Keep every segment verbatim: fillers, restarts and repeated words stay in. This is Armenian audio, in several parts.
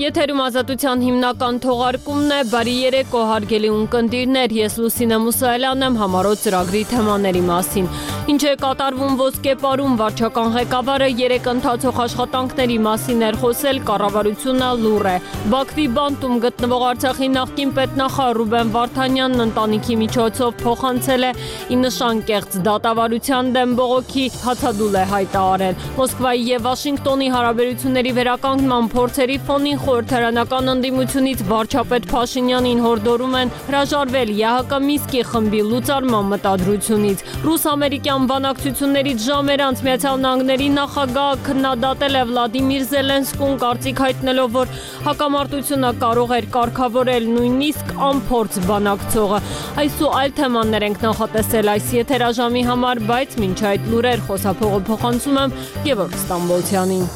Եթերում ազատության հիմնական թողարկումն է, բարի երեկո հարգելի ունկնդիրներ, ես Լուսինե Մուսայելյանն եմ համառոտ ծրագրի թեմաների մասին։ Ինչ է կատարվում ոսկեպարում, վարչական ղեկավարը երեք ընթացող աշխատանքների մասին էր խոսել, կառավարությունը լուռ է։ Բաքվի բանտում գտնվող Արցախի նախկին պետնախարար Ռուբեն Վարդանյանն ընտանիքի միջոցով փոխանցել է ի նշան կեղծ դատավարության դեմ բողոքի հացադուլ է հայտարարել։ Մոսկվայի եւ Վաշինգտոնի հարաբերությունների վերականգնման փորձերի ֆոնին խորհրդարանական ընդդիմությունից վարչապետ Փաշինյանին հորդորում են հրաժարվել ԵԱՀԿ Մինսկի խմբի լուծարման մտադրությունից։ Ռուս-ամերիկյան բանակցություններից ժամեր անց Միացյալ Նահանգների նախագահը քննադատել է Վլադիմիր Զելենսկուն, կարծիք հայտնելով, որ հակամարտությունը կարող էր կարգավորել նույնիսկ անփորձ բանակցողը։ Այս ու այլ թեմաներ ենք նախատեսել այս եթերաժամի համար, բայց մինչ այդ լուրեր խոսափողը փոխանցում եմ Գևորգ Ստամբոլցյանին։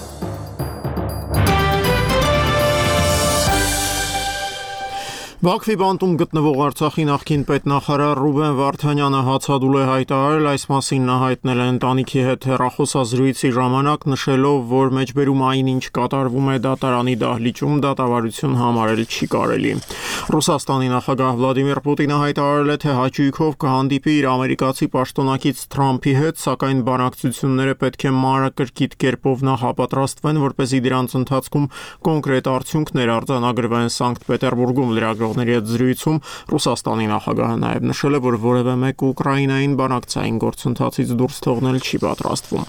Բաքվի բանտում գտնվող Արցախի նախկին պետնախարար Ռուբեն Վարդանյանը հացադուլ է հայտարարել, այս մասին նա հայտնել է ընտանիքի հետ հեռախոսազրույցի ժամանակ, նշելով, որ մեջբերում այնինչ կատարվում է դատարանի դահլիճում, դատավարություն համարել չի կարելի։ Ռուսաստանի նախագահ Վլադիմիր Պուտինը հայտարարել է, թե հաճույքով կհանդիպի իր ամերիկացի պաշտոնակից Թրամփի հետ, սակայն բանակցությունները պետք է մանրակրկիտ կերպով նախապատրաստվեն, որպեսզի դրանց ընթացքում կոնկրետ արդյունքներ արձանագրվեն։ Սանկտ Պետերբուրգում լրագրողների հետ զրույցում Ռուսաստանի նախագահը նաև նշել է, որ որևէ մեկ Ուկրաինային բանակցային գործընթացից դուրս թողնել չի պատրաստվում։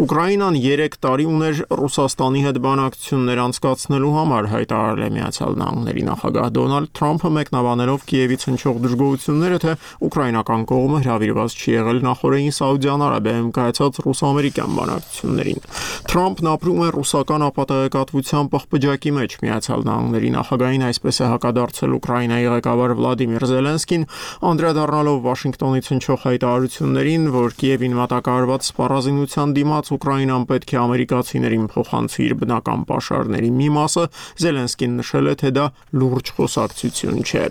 Ուկրաինան երեք տարի ուներ Ռուսաստանի հետ բանակցություններ անցկացնելու համար, հայտարարել է Միացյալ Նահանգների նախագահ Դոնալդ Թրամփը, մեկնաբանելով Կիևից հնչող դժգոհությունները, թե ուկրաինական կողմը հրավիրված չի եղել նախորդին Սաուդյան Արաբիայում կայացած ռուս-ամերիկյան բանակցություններին։ Թրամփն ապրում է ռուսական ապատեգատվության պղպջակի մեջ։ Միացյալ Նահանգների նախագահին այսպես է հակադարձել Ուկրաինայի ղեկավար Վլադիմիր Զելենսկին, անդրադառնալով Վաշինգտոնից հնչող հայտարարություններին, որ Կիևին մատակարարված սպառազինության դիմաց Ուկրաինան պետք է ամերիկացիներին փոխանցի իր բնական պաշարների մի մասը, Զելենսկին նշել է, թե դա լուրջ խոսակցություն չէ։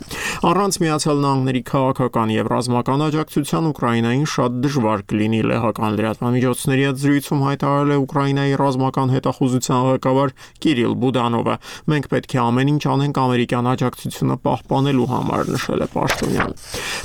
Առանց Միացյալ Նահանգների քաղաքական եւ ռազմական աջակցության Ուկրաինային շատ դժվար կլինի, լեհական լրատվամիջոցների հետ զրույցում հայտարարել է Ուկրաինայի ռազմական հետախուզության ղեկավար Կիրիլ Բուդանովը։ Մենք պետք է ամեն ինչ անենք ամերիկյան աջակցությունը պահպանելու համար, նշել է պաշտոնյան։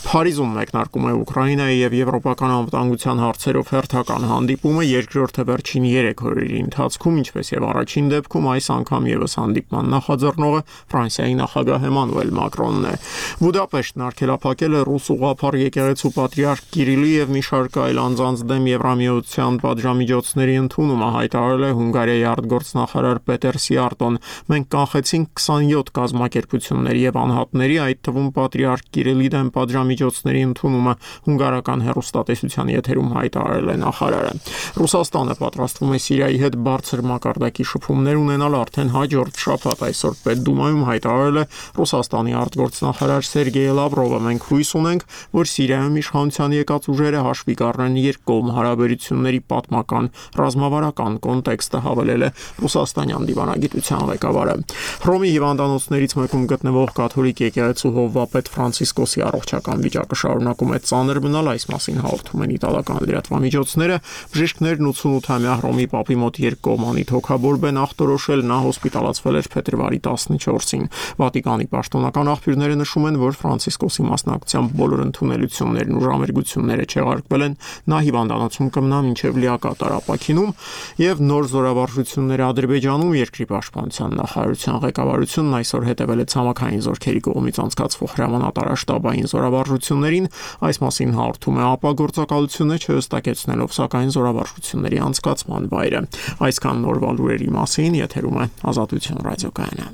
Փարիզում մեկնարկում է Ուկրաինայի եւ եվրոպական անվտանգության հարցերով հերթական հանդիպումը, երկրորդը վերջին երեք օրերի ընթացքում, ինչպես եւ առաջին դեպքում, այս անգամ եւս հանդիպման նախաձեռնողը Ֆրանսիայի նախագահ Էմանուել Մակրոնն է։ Բուդապեշտն արգելափակել է ռուս ուղղափառ եկեղեցու պատրիարք Կիրիլի եւ մի շարք այլ անձանց դեմ Եվրամիության պատժամիջոցների ընդունումը, հայտարարել է Հունգարիայի արտգործնախարար Պետեր Սիարտոն։ Մենք կանխեցինք քսանյոթ կազմակերպությունների եւ անհատների, այդ թվում պատրիարք Կիրիլի դեմ պատժամիջոցների ընդունումը, հունգարական հեռուստատեսության եթերում հայտարարել է նախարարը։ Ռուսաստանը պատրաստվում է Սիրիայի հետ բարձր մակարդակի շփումներ ունենալ արդեն հաջորդ շաբաթ, այսօր Պետդումայում հայտարարել է Ռուսաստանի արտգործնախարար Սերգեյ Լավրովը։ Մենք հույս ունենք, որ Սիրիայում իշխանության եկած ուժերը հաշվի կառնեն երկկողմ հարաբերությունների պատմական ռազմավարական կոնտեքստը, հավելել է ռուսաստանյան դիվանագիտության ղեկավարը։ Հռոմի հիվանդանոցներից մեկում գտնվող կաթոլիկ եկեղեցու հովվապետ Ֆրանցիսկոսի առողջական վիճակը շարունակում է ծանր մնալ, այս մասին հաղորդում են իտալական լրատվամիջոցները։ Բժիշկներն ութսունութամյա Հռոմի պապի մոտ երկկողմանի թոքաբորբեն ախտորոշել, նա հոսպիտալացվել էր փետրվարի տասնչորսին։ Վատիկանի պաշտոնական աղբյուրները նշում են, որ Ֆրանցիսկոսի մասնակցությամբ բոլոր ընդունելություններն ու ժամերգությունները չեղարկվել են, նա հիվանդանոցում կմնա մինչև լիակատար ապաքինում, եւ նոր զորավարժությունները Ադրբեջանում, երկրի պաշտպանության նախարարության ղեկավարությունն այսօր հետևել է ցամաքային զորքերի կողմից անցկացվող հրամանատարաշտաբային զորավարժություններին, այս մասին հաղորդում է ԱՊԱ գործակալությունը, չհստակեցնելով սակայն զորավարժությունների անցկացման վայրը։ Այսքան նորվա լուրերի մասին, եթերում է Ազատություն ռադիոկայանը։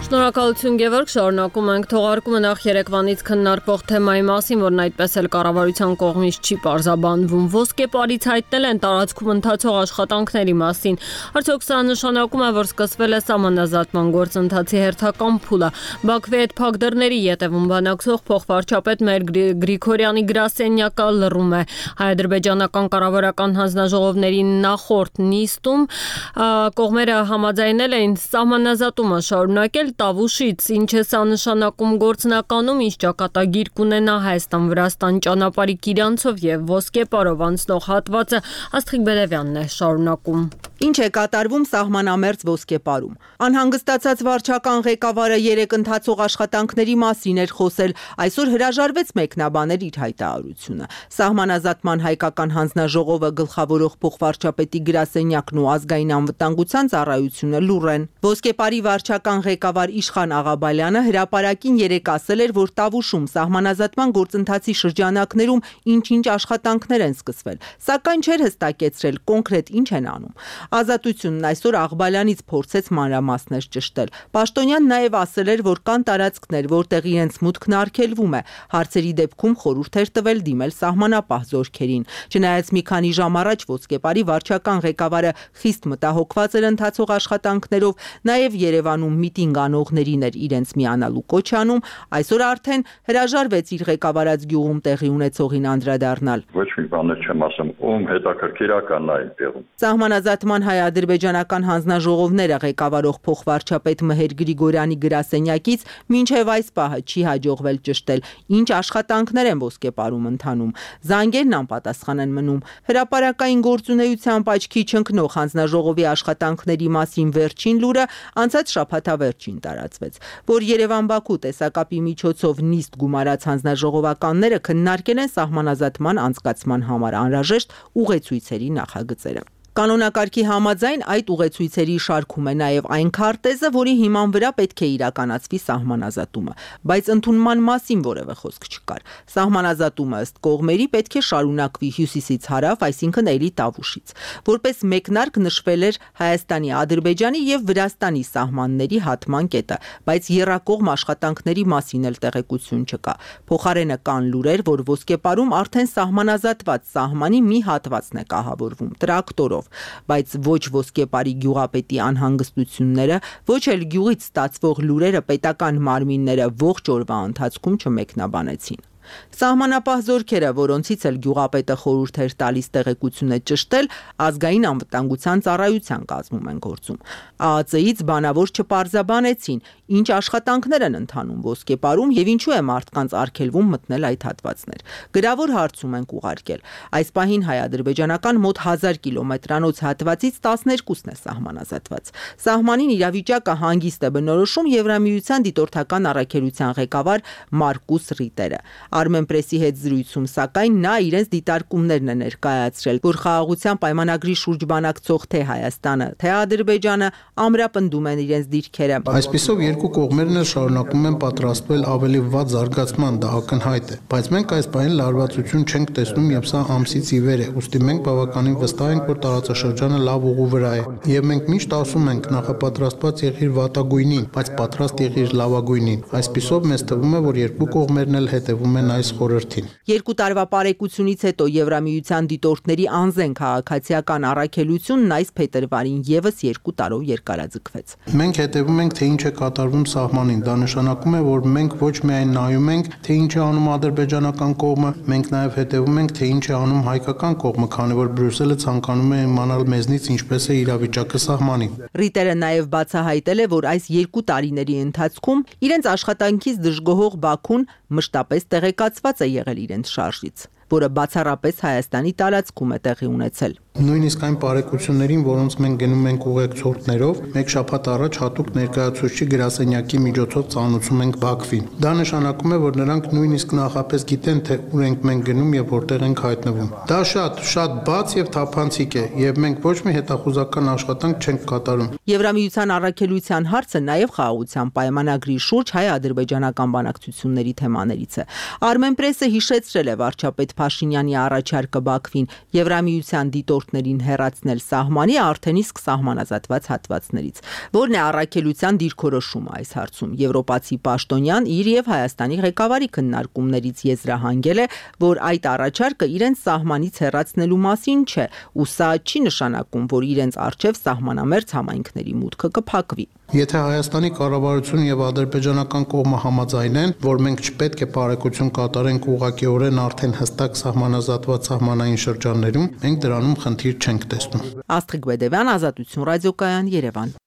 Շնորհակալություն Գևորգ, շարունակում ենք թողարկումը նախ երեկվանից քննարկվող թեմայի մասին, որն այդպես էլ կառավարության կողմից չի պարզաբանվում։ Ոսկեպարից հայտնել են տարածքում ընթացող աշխատանքների մասին։ Արդյոք սա նշանակում է, որ սկսվել է սահմանազատման գործընթացի հերթական փուլը։ Բաքվի հետ փակ դռների ետևում բանակցող փոխվարչապետ Մեր Գրիգորյանի գրասենյակը լռում է։ Հայ-ադրբեջանական կառավարական հանձնաժողովների նախորդ նիստում կողմերը համաձայնել էին սահմանազատումը շարունակել, տավուկ Տավուշից, ինչ է սա նշանակում գործնականում, ինչ ճակատագիր կունենա Հայաստան-Վրաստան ճանապարհի Կիրանցով եւ Ոսկեպարով անցնող հատվածը, Աստղիկ Բերևյանն է շարունակում։ Ինչ է կատարվում սահմանամերձ Ոսկեպարում։ Անհանգստացած վարչական ղեկավարը երեք ընթացող աշխատանքների մասին էր խոսել, այսօր հրաժարվեց մեկնաբանել իր հայտարարությունը։ Սահմանազատման հայկական հանձնաժողովը գլխավորող փոխվարչապետի գրասենյակն ու ազգային անվտանգության ծառայությունը լուռ են։ Ոսկեպարի վարչական ղեկավար Իշխան Աղաբալյանը հրապարակին երեկ ասել էր, որ Տավուշում սահմանազատման գործընթացի շրջանակներում ինչ-ինչ աշխատանքներ են սկսվել, սակայն չէր հստակեցրել կոնկրետ ինչ են անում։ Ազատությունն այսօր Աղբալյանից փորձեց մանրամասներ ճշտել։ Պաշտոնյան նաև ասել էր, որ կան տարածքներ, որտեղ իրենց մուտքն արգելվում է։ Հարցերի դեպքում խորհուրդ էր տվել դիմել սահմանապահ զորքերին։ Չնայած մի քանի ժամ առաջ Ոսկեպարի վարչական ղեկավարը խիստ մտահոգված էր ընթացող աշխատանքներով, նաև Երևանում միտինգ անողներին էր իրենց միանալու կոչ անում, այսօր արդեն հրաժարվեց իր ղեկավարած գյուղում տեղի ունեցողին անդրադառնալ։ Ոչ մի բան չեմ ասում, ում հետաքրքիրական է տեղում։ Սահմանազատման հայ-ադրբեջանական հանձնաժողովները ղեկավարող փոխվարչապետ Մհեր Գրիգորյանի գրասենյակից մինչև այս պահը չի հաջողվել ճշտել, ինչ աշխատանքներ են Ոսկեպարում ընթանում։ Զանգերն անպատասխան են մնում։ Հրապարակային գործունեությամբ աչքի չընկնող հանձնաժողովի աշխատանքների մասին վերջին լուրը անցած շաբաթավերջին տարածվեց, որ Երևան-Բաքու տեսակապի միջոցով նիստ գումարած հանձնաժողովականները քննարկել են սահմանազատման անցկացման համար անհրաժեշտ ուղեցույցերի նախագծերը։ Կանոնակարգի համաձայն այդ ուղեցույցերի շարքում է նաև այն քարտեզը, որի հիման վրա պետք է իրականացվի սահմանազատումը, բայց ընդունման մասին որևէ խոսք չկար։ Սահմանազատումը ըստ կողմերի պետք է շարունակվի հյուսիսից հարավ, այսինքն Էլի Տավուշից։ Որպես մեկնարկ նշվել էր Հայաստանի, Ադրբեջանի եւ Վրաստանի սահմանների հատման կետը, բայց եռակողմ աշխատանքների մասին էլ տեղեկություն չկա։ Փոխարենը կան լուրեր, որ Ոսկեպարում արդեն սահմանազատված սահմանի մի հատվածն է կահավորվում տրակտորով, բայց ոչ Ոսկեպարի գյուղապետի անհանգստությունները, ոչ էլ գյուղից ստացվող լուրերը պետական մարմինները ողջ օրվա ընթացքում չմեկնաբանեցին։ Սահմանապահ զորքերը, որոնցից էլ գյուղապետը խորհուրդ էր տալիս տեղեկությունը ճշտել, ազգային անվտանգության ծառայության կազմում են գործում։ ԱԱԾ-ից բանավոր չպարզաբանեցին, ինչ աշխատանքներ են ընթանում Ոսկեպարում եւ ինչու է մարդկանց արգելվում մտնել այդ հատվածներ։ Գրավոր հարցում ենք ուղարկել։ Այս պահին հայ-ադրբեջանական մոտ հազար կիլոմետրանոց հատվածից տասներկուսն է սահմանազատված։ Սահմանին իրավիճակը հանգիստ է բնորոշում Եվրամիության դիտորդական առաքելության ղեկավար Մարկուս Ռիտերը։ Armenpress-ի հետ զրույցում, սակայն նա իրենց դիտարկումներն է ներկայացրել, որ խաղաղության պայմանագրի շուրջ բանակցող թե Հայաստանը, թե Ադրբեջանը ամրապնդում են իրենց դիրքերը։ Այսպիսով երկու կողմերն էլ շարունակում են պատրաստվել ավելի վատ զարգացման, դա ակնհայտ է, բայց մենք այս բանին լարվածություն չենք տեսնում եւ սա ամսից ի վեր է, ուստի մենք բավականին վստահ ենք, որ տարածաշրջանը լավ ուղու վրա է եւ մենք միշտ ասում ենք նախապատրաստված եղիր վատագույնին, բայց պատրաստ եղիր լավագույնին։ Այսպիսով մեզ թվում է, որ երկու կողմերն էլ հետևում են այս խորհրդին։ Երկու տարվա պարեկությունից հետո Եվրամիության դիտորդների անզեն քաղաքացիական առաքելությունն այս փետրվարին եւս երկու տարով երկարաձգվեց։ Մենք հետևում ենք, թե ինչ է կատարվում սահմանին։ Դա նշանակում է, որ մենք ոչ միայն նայում ենք, թե ինչ է անում ադրբեջանական կողմը, մենք նաեւ հետևում ենք, թե ինչ է անում հայկական կողմը, քանի որ Բրյուսելը ցանկանում է իմանալ մեզնից ինչպես է իրավիճակը սահմանին։ Ռիտերը նաեւ բացահայտել է, որ այս երկու տարիների ընթացքում իրենց աշխատանքից դժգոհող Բաքուն մշտապես տեղեկացված է եղել իրենց շարժից, որը բացառապես Հայաստանի տարածքում է տեղի ունեցել։ Նույնիսկ այն բարեկություններին, որոնց մենք գնում ենք ուղեկցորդներով, մեկ շաբաթ առաջ հատուկ ներկայացուցիչի գրասենյակի միջոցով ծանոթում ենք Բաքվին։ Դա նշանակում է, որ նրանք նույնիսկ նախապես գիտեն, թե ուր ենք մենք գնում եւ որտեղ ենք հայտնվում։ Դա շատ, շատ բաց եւ թափանցիկ է, եւ մենք ոչ մի հետախուզական աշխատանք չենք կատարում։ Եվրամիության առաքելության հարցը նաեւ խաղաղության պայմանագրի շուրջ հայ-ադրբեջանական բանակցությունների թեմաներից է։ Armenpress-ը հիշեցրել է վարչապետ Փաշինյանի առաջարկը Բաքվին Եվրամիության դիտորդներին հեռացնել սահմանի արդեն իսկ սահմանազատված հատվածներից, որն է առաքելության դիրքորոշումը այս հարցում։ Եվրոպացի պաշտոնյան իր եւ Հայաստանի ղեկավարի քննարկումներից եզրահանգել է, որ այդ առաջարկը իրենց սահմանից հեռացնելու մասին չէ, ու սա չի նշանակում, որ իրենց արչեւ սահմանամերձ համայնքների մուտքը կփակվի։ Եթե Հայաստանի կառավարությունը եւ ադրբեջանական կողմը համաձայնեն, որ մենք չպետք է բարեկություն կատարենք ուղղակիորեն արդեն հստակ սահմանազատված սահմանային շրջաններում, մենք դրանում խնդիր չենք տեսնում։ Աստղիկ Բերևյան, Ազատություն ռադիոկայան, Երևան։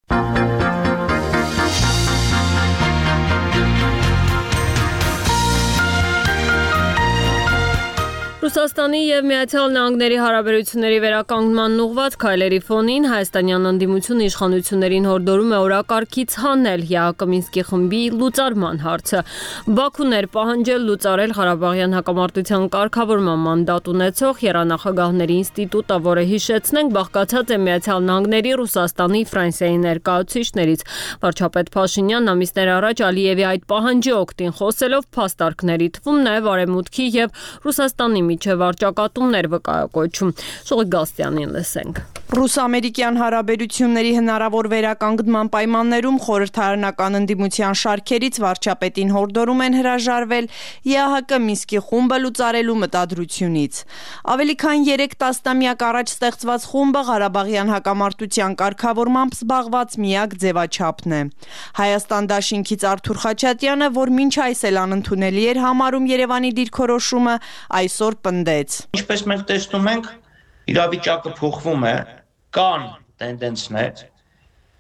Ռուսաստանի եւ Միացյալ Նահանգների հարաբերությունների վերականգնման ուղղված քայլերի ֆոնին հայաստանյան ընդդիմությունը իշխանություններին հորդորում է օրակարգից հանել ԵԱՀԿ Մինսկի խմբի լուծարման հարցը։ Բաքուն էր պահանջել լուծարել Ղարաբաղյան հակամարտության կարգավորման մանդատ ունեցող եռանախագահների ինստիտուտը, որը հիշեցնենք բաղկացած է Միացյալ Նահանգների, Ռուսաստանի, Ֆրանսիայի ներկայացուցիչներից։ Վարչապետ Փաշինյանն ամիսներ առաջ Ալիևի այդ պահանջի օգտին խոսելով փաստարկների թվում նաեւ Արևմուտքի եւ Ռուսաստանի միջև վարչակատումներ վկայակոչում։ Շողիկ Գաստյանին լսենք։ Ռուս-ամերիկյան հարաբերությունների հնարավոր վերականգնման պայմաններում խորհրդարանական ընդդիմության շարքերից վարչապետին հորդորում են հրաժարվել ԵԱՀԿ Մինսկի խումբը լուծարելու մտադրությունից։ Ավելի քան երեք տասնամյակ առաջ ստեղծված խումբը Ղարաբաղյան հակամարտության կարգավորմամբ զբաղված միակ ձևաչափն է։ Հայաստան դաշինքից Արթուր Խաչատյանը, որ մինչ այս էլ անընդունելի էր համարում Երևանի դիրքորոշումը, այսօր պնդեց։ Ինչպես մենք տեսնում ենք, իրավիճակը փոխվում է, կան տենդենսներ,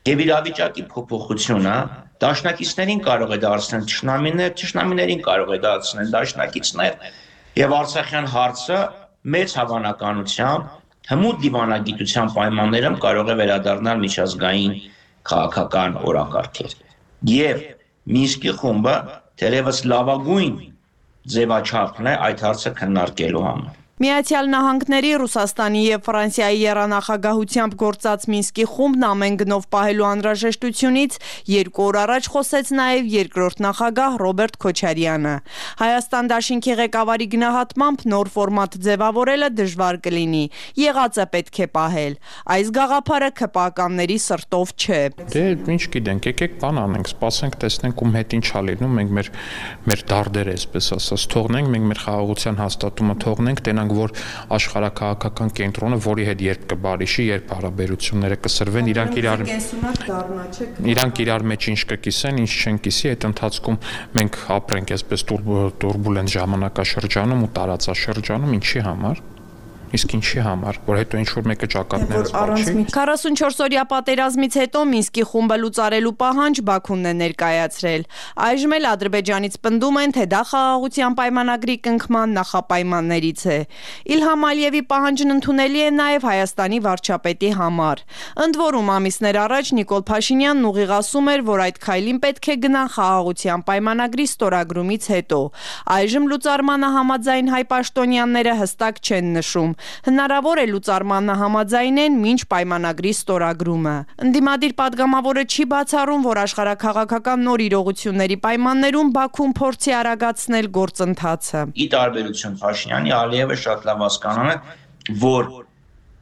եւ իրավիճակի փոփոխությունը դաշնակիցներին կարող է դարձնել ճշնամիներ, ճշնամիներին կարող է դարձնել դաշնակիցներ, եւ Արցախյան հարցը մեծ հավանականությամբ հմուտ դիվանագիտության պայմաններում կարող է վերադառնալ միջազգային քաղաքական օրակարգեր։ Եվ Մինսկի խումբը թերևս լավագույն ձևաչափն է այդ հարցը քննարկելու համար։ Միացյալ Նահանգների, Ռուսաստանի եւ Ֆրանսիայի եռանախագահությամբ գործած Մինսկի խումբն ամեն գնով պահելու անհրաժեշտությունից երկու օր առաջ խոսեց նաեւ երկրորդ նախագահ Ռոբերտ Քոչարյանը։ Հայաստան դաշինքի ղեկավարի գնահատմամբ նոր ֆորմատ ձևավորելը դժվար կլինի։ Եղածը պետք է պահել։ Այս գաղափարը ՔՊԱ-ականների սրտով չէ։ Դե ինչ գիտենք, եկեք բան անենք, սպասենք, տեսնենք ում հետ ինչ ա լինում, մենք մեր մեր դարդերը, այսպես ասած, թողնենք, մենք մեր խաղաղության հաստատումը թողնենք, տենանք որ աշխարհակահաղական կենտրոնը, որի հետ երբ կբարիշի, երբ հարաբերությունները կսրվեն, իրանք իրար իրանք իրար մեջ ինչ կկիսեն, ինչ չեն կիսի, այդ ընթացքում մենք ապրենք այսպես տուրբուլենտ ժամանակաշրջանում ու տարածաշրջանում, ինչի համար։ Իսկ ինչի համար, որ հետո ինչ որ մեկը ճակատներս բաչի։ քառասունչորս-օրյա պատերազմից հետո Մինսկի խումբը լուծարելու պահանջ Բաքունն է ներկայացրել։ Այժմ էլ Ադրբեջանից պնդում են, թե դա խաղաղության պայմանագրի կնքման նախապայմաններից է։ Իլհամ Ալիևի պահանջն ընդունելի է նաև Հայաստանի վարչապետի համար։ Ընդ որում ամիսներ առաջ Նիկոլ Փաշինյանն ուղիղ ասում էր, որ այդ քայլին պետք է գնան խաղաղության պայմանագրի ստորագրումից հետո։ Այժմ լուծարմանը համաձայն հայ պաշտոնյաները հստակ չեն նշում։ Հնարավոր է լուծարմանը համաձայնեն մինչ պայմանագրի ստորագրումը։ Ընդդիմադիր падգամավորը չի բացառում, որ աշխարհակաղակական նոր իրողությունների պայմաններում Բաքուն փորձի արագացնել գործընթացը։ Ի տարբերություն Փաշինյանի, Ալիևը շատ լավ հասկանում է, որ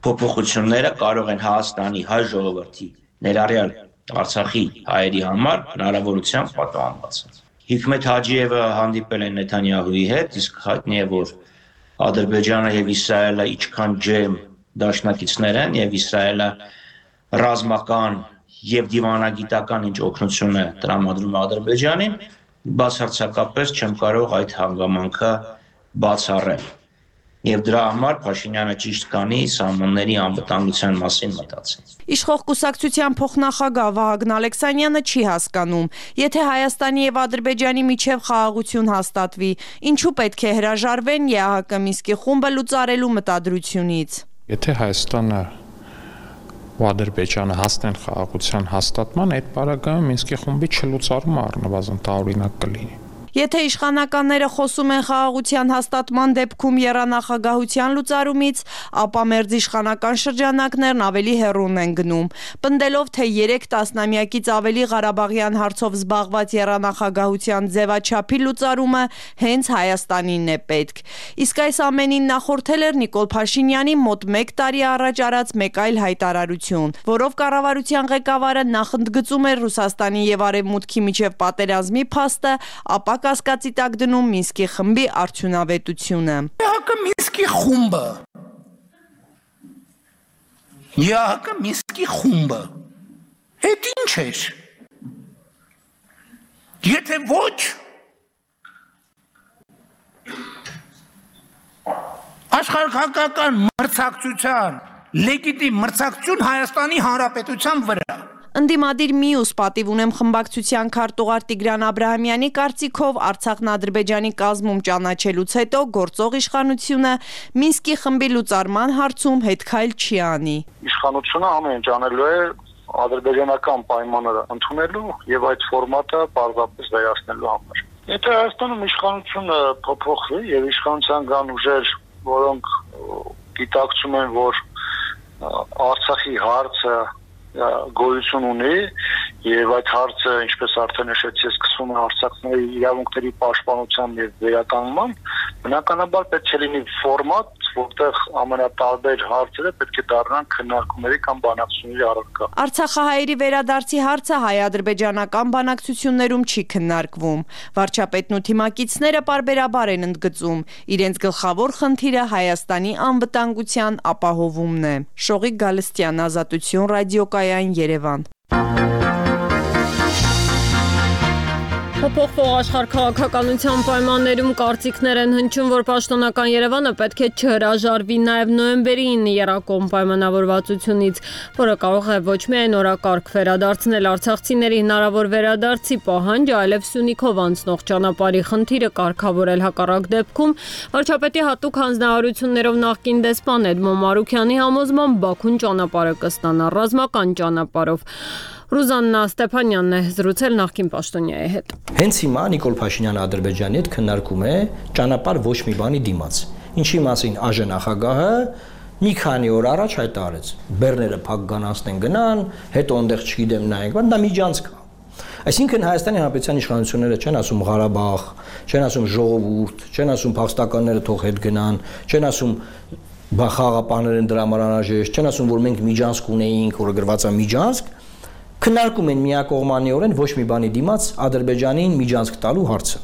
փոփոխությունները կարող են Հայաստանի հայ ժողովրդի, ներառյալ Արցախի հայերի համար հնարավորությամբ պատահական։ Հիկմետ Հաջիևը հանդիպել է Նեթանյահուի հետ, իսկ հայտնի է, որ Ադրբեջանը եւ Իսրայելը ինչքան ջերմ դաշնակիցներ են եւ Իսրայելը ռազմական եւ դիվանագիտական ինչ օգնություն է տրամադրում Ադրբեջանին, բացարձակապես չեմ կարող այդ հանգամանքը բացառել։ Եվ դրա համար Փաշինյանը ճիշտ կանի սահմանների անվտանգության մասին մտածի։ Իշխող կուսակցության փոխնախագահ Վահագն Ալեքսանյանը չի հասկանում, եթե Հայաստանի եւ Ադրբեջանի միջև խաղաղություն հաստատվի, ինչու պետք է հրաժարվեն ԵԱՀԿ Մինսկի խումբը լուծարելու մտադրությունից։ Եթե Հայաստանը ու Ադրբեջանը հասնեն խաղաղության հաստատման, այդ պարագայում Մինսկի խումբի չլուծարումը առնվազն տարօրինակ կլինի։ Եթե իշխանականները խոսում են խաղաղության հաստատման դեպքում եռանախագահության լուծարումից, ապա մերձ իշխանական շրջանակներն ավելի հեռուն են գնում, պնդելով, թե երեք տասնամյակից ավելի Ղարաբաղյան հարցով զբաղված եռանախագահության ձևաչափի լուծարումը հենց Հայաստանին է պետք։ Իսկ այս ամենին նախորդել էր Նիկոլ Փաշինյանի մոտ մեկ տարի առաջ արած մեկ այլ հայտարարություն, որով կառավարության ղեկավարը նախընդգծում էր Ռուսաստանի եւ Արևմուտքի միջև պատերազմի փաստը, ապա կասկածի տակ դնում Մինսկի խմբի արդյունավետությունը։ ԵԱՀԿ Մինսկի խումբը ԵԱՀԿ Մինսկի խումբը հետ ինչ էր։ Եթե ոչ աշխարհակաղակական մրցակցության լեգիտիմ մրցակցություն Հայաստանի Հանրապետության վրա։ Ընդդիմադիր մյուս պատիվ ունեմ խմբակցության քարտուղար Տիգրան Աբրահամյանի կարծիքով Արցախն Ադրբեջանի կազմում ճանաչելուց հետո գործող իշխանությունը Մինսկի խմբի լուծարման հարցում հետքայլ չի անի։ Իշխանությունը ամեն ինչ անելու է ադրբեջանական պայմանները ընդունելու եւ այդ ֆորմատը պարզապես վերացնելու համար։ Եթե Հայաստանում իշխանությունը փոփոխվի եւ իշխանության կան ուժեր, որոնք գիտակցում են, որ Արցախի հարցը գոյություն ունի եւ այդ հարցը, ինչպես արդեն նշեցի, սկսվում է Արցախների իրավունքների պաշտպանության եւ վերականգնման, բնականաբար պետք է լինի ֆորմատ, որտեղ ամենատարբեր հարցերը պետք է դառնան քննարկումների կամ բանակցությունների առարկա։ Արցախահայերի վերադարձի հարցը հայ-ադրբեջանական բանակցություններում չի քննարկվում։ Վարչապետն ու թիմակիցները պարբերաբար են ընդգծում, իրենց գլխավոր խնդիրը Հայաստանի անվտանգության ապահովումն է։ Շողիկ Գալստյան, Ազատություն, ռադիոկայան, Երևան։ Փոփոխվող աշխարհ քաղաքականության պայմաններում կարծիքներ են հնչում, որ պաշտոնական Երևանը պետք է չհրաժարվի նաև նոյեմբերի ինը եռակողմ պայմանավորվածությունից, որը կարող է ոչ միայն օրակարգ վերադարձնել արցախցիների հնարավոր վերադարձի պահանջ, այլև Սյունիքով անցնող ճանապարհի խնդիրը կարգավորել հակառակ դեպքում, վարչապետի հատուկ հանձնարարություններով նախկին դեսպան Էդմոն Մարուքյանի համոզմամբ Բաքուն ճանապարհը կստանա ռազմական ճանապարհով։ Ռուզաննա Ստեփանյանն է զրուցել նախկին պաշտոնյայի հետ։ Հենց հիմա Նիկոլ Փաշինյանը Ադրբեջանի հետ քննարկում է ճանապարհ ոչ մի բանի դիմաց։ Ինչի մասին ԱԺ նախագահը մի քանի օր առաջ հայտարարեց. Բեռները փակ գանացնեն գնան, հետո այնտեղ չգիտեմ նայենք, բայց դա միջանցք է։ Այսինքն Հայաստանի Հանրապետության իշխանությունները չեն ասում Ղարաբաղ, չեն ասում ժողովուրդ, չեն ասում փախստականները թող հետ գնան, չեն ասում խաղաղապահներ են դրա համար անհրաժեշտ, չեն ասում որ մենք միջանցք ունեինք, որը գրված է միջանցք, քննարկում են միակողմանիորեն ոչ մի բանի դիմաց Ադրբեջանին միջանցք տալու հարցը։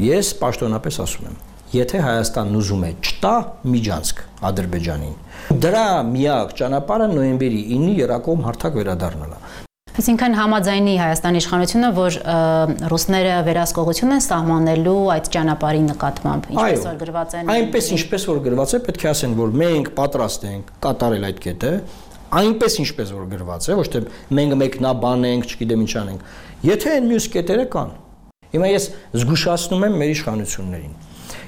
Ես պաշտոնապես ասում եմ, եթե Հայաստանն ուզում է չտա միջանցք Ադրբեջանին, դրա միակ ճանապարհը նոյեմբերի ինը եռակողմ հարթակ վերադառնալն է։ Այսինքն համաձայնի Հայաստանի իշխանությունը, որ ռուսները վերահսկողություն են սահմանելու այդ ճանապարհի նկատմամբ, ինչպես որ գրված են։ Այնպես ինչպես որ գրված է, պետք է ասեն, որ մենք պատրաստ ենք կատարել այդ կետը, այնպես ինչպես որ գրված է, ոչ թե մենք մեկնաբանենք, չգիտեմ ինչ անենք։ Եթե այն մյուս կետերը կան, հիմա ես զգուշացնում եմ մեր իշխանություններին։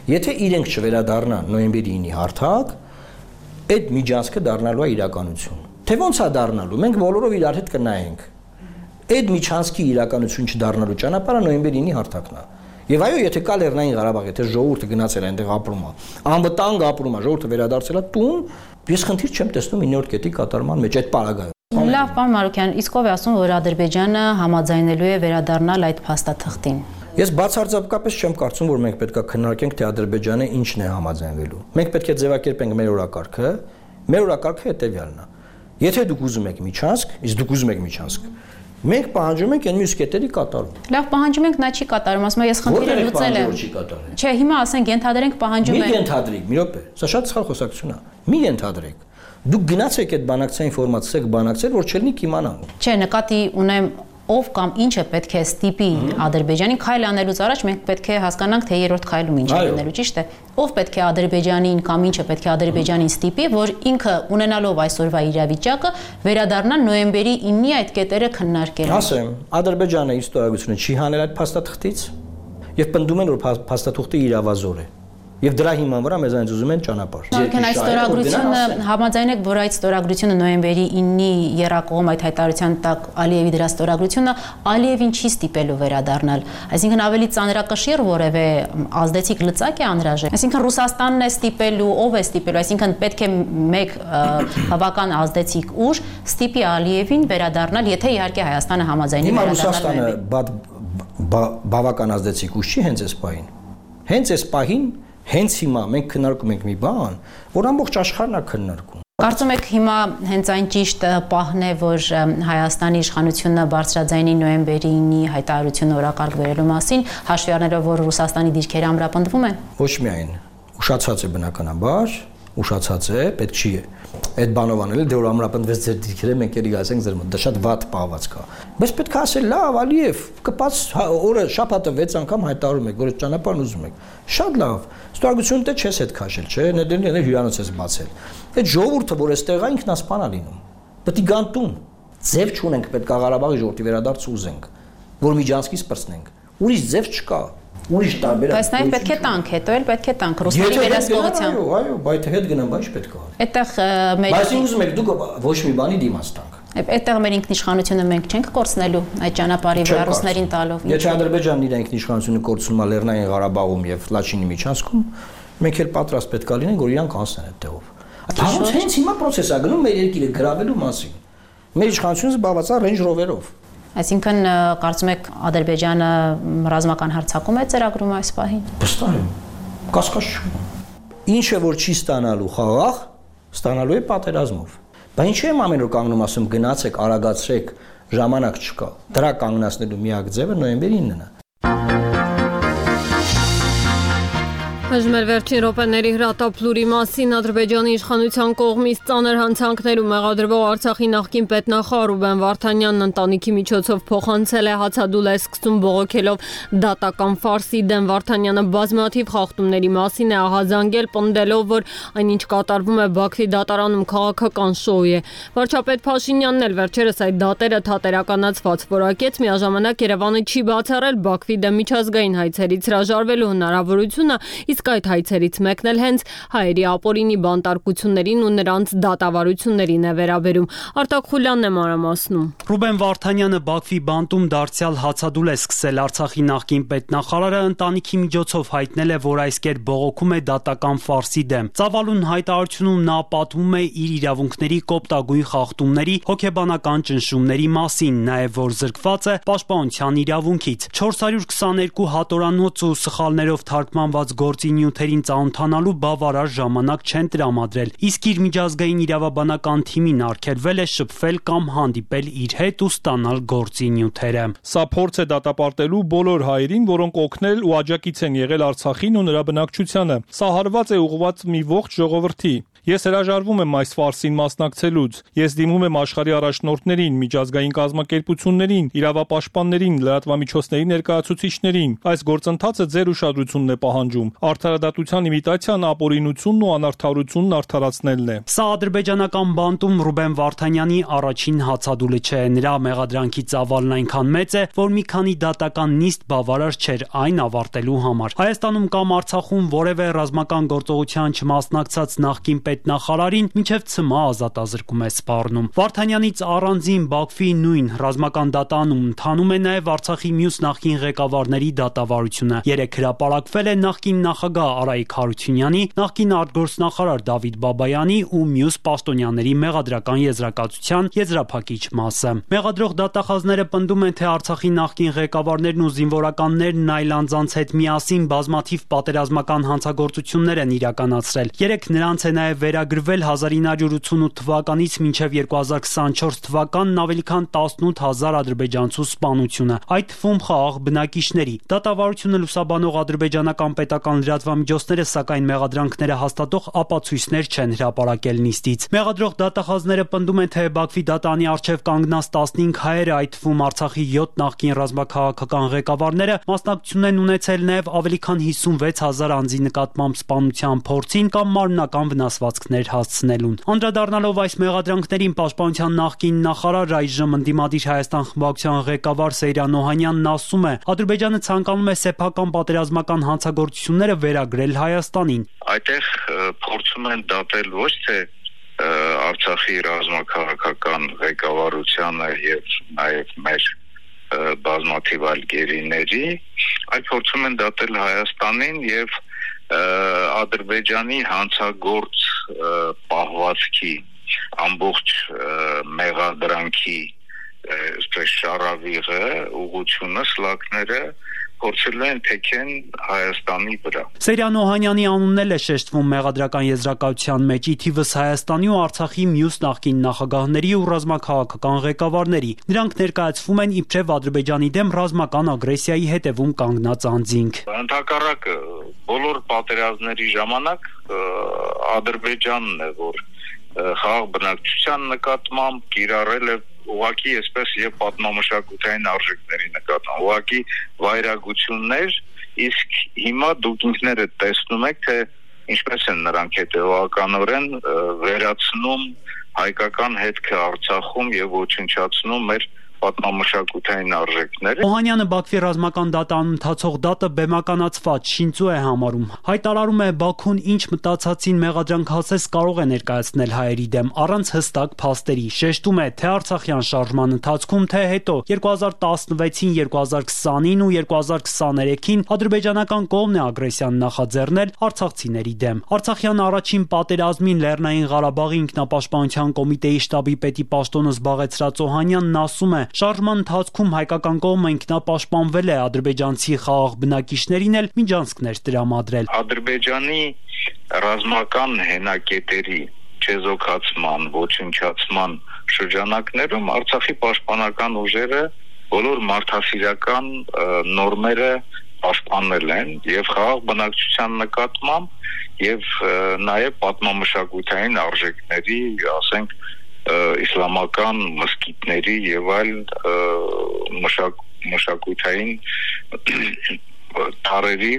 Եթե իրենք չվերադառնան նոյեմբերի ինը հարթակ, այդ միջանցքը դառնալու է իրականություն։ Թե ոնց է դառնալու, մենք բոլորով իրար հետ կնայենք։ Այդ միջանցքի իրականություն չդառնալու ճանապարհը նոյեմբերի ինը հարթակն է։ Եվ այո, եթե կա Լեռնային Ղարաբաղ, եթե ժողովուրդը գնացել է այնտեղ ապրում է, անվտանգ ապրում է, ժողովուրդը վերադարձել է տուն, ես խնդիր չեմ տեսնում իններորդ կետի կատարման մեջ այդ պարագայում։ Լավ, պարոն Մարուքյան, իսկ ով է ասում, որ Ադրբեջանը համաձայնելու է վերադառնալ այդ փաստաթղթին։ Ես բացարձակապես չեմ կարծում, որ մենք պետք է քննարկենք, թե Ադրբեջանը ինչն է համաձայնվելու։ Մենք պետք է ձևակերպենք մեր օրակարգը, մեր օրակարգը հետևյալն է։ Եթե դուք ուզում եք միջանցք, իսկ դուք ուզում եք միջանցք, մենք պահանջում ենք այն մյուս կետերի կատարում։ Լավ, պահանջում ենք, նա չի կատարում, ասում եմ, ես խնդիրը լուծել եմ։ Չէ, հիմա ասենք ենթադրենք պահանջում ենք։ Մի ենթադրեք, մի րոպե։ Սա շատ սխալ խոսակցություն է։ Մի ենթադրեք։ Դուք գնացեք այդ բանակցային ֆորմատը, բանակցել, որ չելնի կիմանան։ Չէ, նկատի ունեմ ով կամ ինչը պետք է ստիպի Ադրբեջանին քայլ անելուց առաջ մենք պետք է հասկանանք թե երրորդ քայլում ինչ է լինելու, ճիշտ է։ Ով պետք է Ադրբեջանին կամ ինչը պետք է Ադրբեջանին ստիպի, որ ինքը ունենալով այսօրվա իրավիճակը վերադառնա նոյեմբերի ինը այդ կետերը քննարկել։ Ասեմ, Ադրբեջանը իր ստորագրությունը չի հանել այդ փաստաթղթից եւ պնդում են, որ փաստաթուղթը իրավազոր է։ Եվ դրա հիման վրա մեզանից ուզում են ճանապարհ։ Որքան այդ ստորագրությունը համաձայնեք, որ այդ ստորագրությունը նոյեմբերի ինը եռակողմ այդ հայտարարության տակ Ալիևի դրա ստորագրությունը Ալիևին չի ստիպելու վերադառնալ։ Այսինքն ավելի ծանրակշիռ որևէ ազդեցիկ լծակ է անհրաժեշտ։ Այսինքն Ռուսաստանն է ստիպելու, ով է ստիպելու, այսինքն պետք է մեկ բավական ազդեցիկ ուժ ստիպի Ալիևին վերադառնալ, եթե իհարկե Հայաստանը համաձայնի վերադառնալ։ Հիմա Ռուսաստանը բավական ազդեցիկ ուժ չի հենց այս պահին։ Հենց այս պահին Հենց հիմա մենք քննարկում ենք մի բան, որ ամբողջ աշխարհն է քննարկում։ Կարծում եք հիմա հենց այն ճիշտ պահն է, որ Հայաստանի իշխանությունը բարձրաձայնի նոյեմբերի ինը հայտարարությունը օրակարգ վերելու մասին, հաշվի առնելով, որ Ռուսաստանի դիրքերը ամրապնդվում են։ Ոչ միայն ուշացած է բնականաբար, ուշացած է, պետք չի այդ բանով անել, դե որ ամրապնդվեց ձեր դիրքերը, մենք ելի ասենք ձեր մոտ, դա շատ վատ պահվածք է։ Բայց պետք է ասել, լավ, Ալիև, կպած օրը շաբաթը վեց անգամ հայտարարում եք, որ այդ ճանապարհն ուզում եք։ Շատ լավ։ Ստորագրությունը դե չես հետ քաշել, չէ՞, ներդրել հյուրանոց ես բացել։ Այդ ժողովուրդը, որ էստեղ է, ինքնասպան է լինում։ Պետք է գան տուն։ Ձև չունենք, պետք է Ղարաբաղի ժողովրդի վերադարձ ուզենք, որ միջանցքից պրծնենք։ Ուրիշ ձև չկա։ Ուրիշ տարբեր։ Բայց նաև պետք է տանք, հետո էլ պետք է տանք ռուսների վերահսկողությամբ։ Այո, այո, բայց հետ գնամ, բայց պետք է։ Այդտեղ մեր Բայց ուզում եք դուք ոչ մի բանի դիմաց տանք։ Այդտեղ մեր ինքնիշխանությունը մենք չենք կորցնելու այդ ճանապարհի վրա ռուսներին տալով։ Եթե Ադրբեջանն իր ինքնիշխանությունը կորցնում է Լեռնային Ղարաբաղում եւ Լաչինի միջանցքում, մենք էլ պատրաստ պետք է լինենք, որ իրանք անցնեն այդ տեղով։ Դա հենց հիմա process է գնում մեր երկիրը գրավելու մասին։ Մեր իշխանությունը զբաղված է Range Rover-ով։ Այսինքն կարծում եք Ադրբեջանը ռազմական հարձակում է ծրագրում այս պահին։ Վստահ եմ։ Կասկած չկա։ Ինչը որ չի ստանալու խաղաղ, ստանալու է պատերազմով։ Բայց ինչի՞ եմ ամեն օր կանգնում ասում գնացեք, արագացրեք, ժամանակ չկա։ Դրա կանգնացնելու միակ ձևը նոյեմբերի իննն է։ Այժմ մեր վերջին րոպեների հրատապլուրի մասին Ադրբեջանի իշխանության կողմից ծանր հանցանքներում մեղադրվող Արցախի նախկին պետնախարար Ռուբեն Վարդանյանն ընտանիքի միջոցով փոխանցել է հացադուլ է սկսում բողոքելով դատական ֆարսի դեմ։ Վարդանյանը բազմաթիվ խախտումների մասին է ահազանգել, պնդելով, որ այնինչ կատարվում է Բաքվի դատարանում քաղաքական շոու է։ Վարչապետ Փաշինյանն էլ վերջերս այդ դատերը թատերականացված որակեց, միաժամանակ Երևանը չի բացառել Բաքվի դեմ միջազգային հայցերից հրաժարվելու հնարավորությունը, իսկ այդ հայցերից մեկն էլ հենց հայերի ապօրինի բանտարկություններին ու նրանց դատավարություններին է վերաբերում։ Արտակ Խուլյանն է մանրամասնում։ Ռուբեն Վարդանյանը Բաքվի բանտում դարձյալ հացադուլ է սկսել։ Արցախի նախկին պետնախարարը ընտանիքի միջոցով հայտնել է, որ այս կերպ բողոքում է դատական ֆարսի դեմ։ Ծավալուն հայտարարությունում նա պատմում է իր իրավունքների կոպտագույն խախտումների, հոգեբանական ճնշումների մասին, նաև որ զրկված է պաշտպանության իրավունքից։ չորս հարյուր քսաներկու հատորանոց ու սխալներով թարգմանված գործի նյութերին ծանոթանալու բավարար ժամանակ չեն տրամադրել, իսկ իր միջազգային իրավաբանական թիմին արգելվել է շփվել կամ հանդիպել իր հետ ու ստանալ գործի նյութերը։ Սա փորձ է դատապարտելու բոլոր հայերին, որոնք օգնել ու աջակից են եղել Արցախին ու նրա բնակչությանը։ Սա հարված է ուղղված մի ողջ ժողովրդի։ Ես հրաժարվում եմ այս ֆարսին մասնակցելուց։ Ես դիմում եմ աշխարհի առաջնորդներին, միջազգային կազմակերպություններին, իրավապաշտպաններին, լրատվամիջոցների ներկայացուցիչներին։ Այս գործընթացը ձեր ուշադրությունն է պահանջում։ Արդարադատության իմիտացիան ապօրինությունն ու անարդարությունն արդարացնելն է։ Սա ադրբեջանական բանտում Ռուբեն Վարդանյանի առաջին հացադուլը չէ։ Նրա մեղադրանքի ծավալն այնքան մեծ է, որ մի քանի դատական նիստ բավարար չէր այն ավարտելու համար։ Հայաստանում կամ Արցախում որևէ ռազմական գործողության չմասնակցած նախկին պետնախարարին մինչև ցմահ ազատազրկում է սպառնում։ Վարդանյանից առանձին Բաքվի նույն ռազմական դատանում ընթանում է նաև Արցախի մյուս նախկին ղեկավարների դատավարությունը։ Երեք հրապարակվել է նախկին նախագահ Արայիկ Հարությունյանի, նախկին արտգործնախարար Դավիթ Բաբայանի ու մյուս պաշտոնյաների մեղադրական եզրակացության եզրափակիչ մասը։ Մեղադրող դատախազները պնդում են, թե Արցախի նախկին ղեկավարներն ու զինվորականներն այլ անձանց հետ միասին բազմաթիվ պատերազմական հանցագործություններ են իրականացրել։ Երեք նրանց է նաև վերագրվել հազար ինը հարյուր ութսունութ թվականից մինչև երկու հազար քսանչորս թվականն ավելի քան տասնութ հազար ադրբեջանցու սպանությունը, այդ թվում խաղաղ բնակիչների։ Դատավարությունը լուսաբանող ադրբեջանական պետական լրատվամիջոցները սակայն մեղադրանքները հաստատող ապացույցներ չեն հրապարակել նիստից։ Մեղադրող դատախազները պնդում են, թե Բաքվի դատանի առջև կանգնած տասնհինգ հայերը, այդ թվում Արցախի յոթ նախկին ռազմաքաղաքական ղեկավարները, մասնակցություն են ունեցել նաև ավելի քան հիսունվեց հազար անձի նկատմամբ սպանության փորձին կամ մարմնական վնասվածքներ հասցնելուն։ Անդրադառնալով այս մեղադրանքներին, Պաշտպանության նախկին նախարար, այժմ ընդդիմադիր Հայաստան խմբակցության ղեկավար Սեյրան Օհանյանն ասում է, Ադրբեջանը ցանկանում է սեփական պատերազմական հանցագործությունները վերագրել Հայաստանին։ Այդտեղ փորձում են դատել ոչ թե Արցախի ռազմաքաղաքական ղեկավարությանը եւ նաեւ մեր բազմաթիվ այլ գերիների, այլ փորձում են դատել Հայաստանին եւ Ադրբեջանի հանցագործ պահվածքի ամբողջ մեղադրանքի այսպես շարավիղը, ուղղությունը, սլակները փորձել են թեքեն Հայաստանի վրա։ Սեյրան Օհանյանի անունն էլ է շեշտվում մեղադրական եզրակացության մեջ, ի թիվս Հայաստանի ու Արցախի մյուս նախկին նախագահների ու ռազմաքաղաքական ղեկավարների։ Նրանք ներկայացվում են իբրև Ադրբեջանի դեմ ռազմական ագրեսիայի հետևում կանգնած անձինք։ Ընդհակառակը բոլոր պատերազմների ժամանակ Ադրբեջանն է, որ խաղաղ բնակչության նկատմամբ կիրառել է ուղղակի այսպես եւ պատմամշակութային արժեքների նկատմամբ ուղղակի վայրագություններ, իսկ հիմա դուք ինքներդ տեսնում եք, թե ինչպես են նրանք հետեւականորեն վերացնում հայկական հետքը Արցախում եւ ոչնչացնում մեր պատմամշակութային արժեքները։ Օհանյանը Բաքվի ռազմական դատարանում ընթացող դատը բեմականացված շինծու է համարում։ Հայտարարում է Բաքուն ինչ մտածածին մեղադրանք հասես կարող է ներկայացնել հայերի դեմ առանց հստակ փաստերի։ Շեշտում է թե արցախյան շարժման ընթացքում, թե հետո երկու հազար տասնվեցին, երկու հազար քսանին ու երկու հազար քսաներեքին ադրբեջանական կողմն է ագրեսիան նախաձեռնել արցախցիների դեմ։ Արցախյան առաջին պատերազմին Լեռնային Ղարաբաղի ինքնապաշտպանության կոմիտեի շտաբի պետի պաշտոնը զբաղեցրած Օհանյանն ասում է. շարժման ընթացքում հայկական կողմը ինքնապաշտպանվել է, ադրբեջանցի խաղաղ բնակիչներին էլ միջանցքներ տրամադրել։ Ադրբեջանի ռազմական հենակետերի չեզոքացման, ոչնչացման շրջանակներում Արցախի պաշտպանական ուժերը բոլոր մարդասիրական նորմերը պաշտպանել են եւ խաղաղ բնակչության նկատմամբ եւ նաեւ պատմամշակութային արժեքների, ասենք, իսլամական մզկիթների եւ այլ մշակ, մշակութային տարերի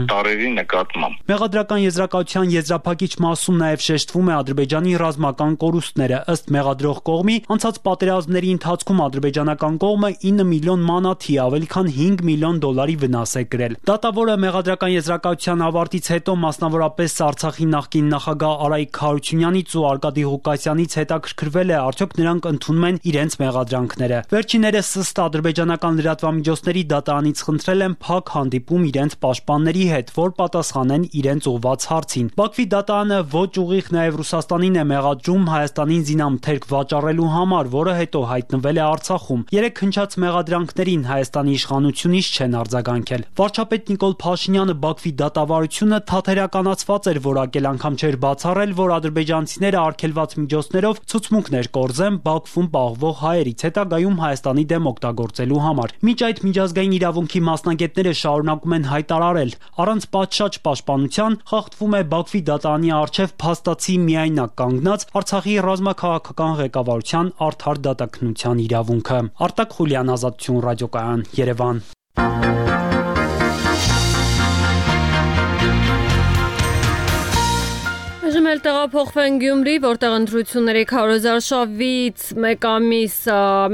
տարերի նկատմամբ։ Մեղադրական եզրակացության եզրափակիչ մասում նաև շեշտվում է Ադրբեջանի ռազմական կորուստները։ Ըստ մեղադրող կողմի, անցած պատերազմների ընթացքում ադրբեջանական կողմը ինը միլիոն մանաթի, ավելի քան հինգ միլիոն դոլարի վնաս է կրել։ Դատավորը մեղադրական եզրակացության ավարտից հետո մասնավորապես Արցախի նախկին նախագահ Արայիկ Խարությունյանից ու Արկադի Ղուկասյանից հետաքրքրվել է, արդյոք նրանք ընդունում են իրենց մեղադրանքները։ Վերջիններս ըստ ադրբեջանական լրատվամիջոցների դատարանից խնդրել են փակ հանդիպում իրենց պաշտպանների հետ, որ պատասխանեն իրենց ուղված հարցին։ Բաքվի դատարանը ոչ ուղիղ նաև Ռուսաստանին է մեղադրում Հայաստանին զինամթերք վաճառելու համար, որը հետո հայտնվել է Արցախում։ Երեք հնչած մեղադրանքներին Հայաստանի իշխանությունից չեն արձագանքել։ Վարչապետ Նիկոլ Փաշինյանը Բաքվի դատավարությունը թատերականացված էր որակել, անգամ չէր բացառել, որ ադրբեջանցիները արգելված միջոցներով ցուցմունքներ կորզեն Բաքվում պահվող հայերից, հետագայում Հայաստանի դեմ օգտագործելու համար։ Մինչ այդ միջազգային իրավունքի մասնագետները շարունակում են հայտարարել, առանց պատշաճ պաշտպանության խախտվում է Բաքվի դատարանի առջև փաստացի միայնակ կանգնած Արցախի ռազմաքաղաքական ղեկավարության արդար դատաքննության իրավունքը։ Արտակ Խուլյան, Ազատություն ռադիոկայան, Երևան։ Այժմ էլ տեղափոխվենք Գյումրի, որտեղ ընտրությունների քառ հազար շավից մեկ ամիս,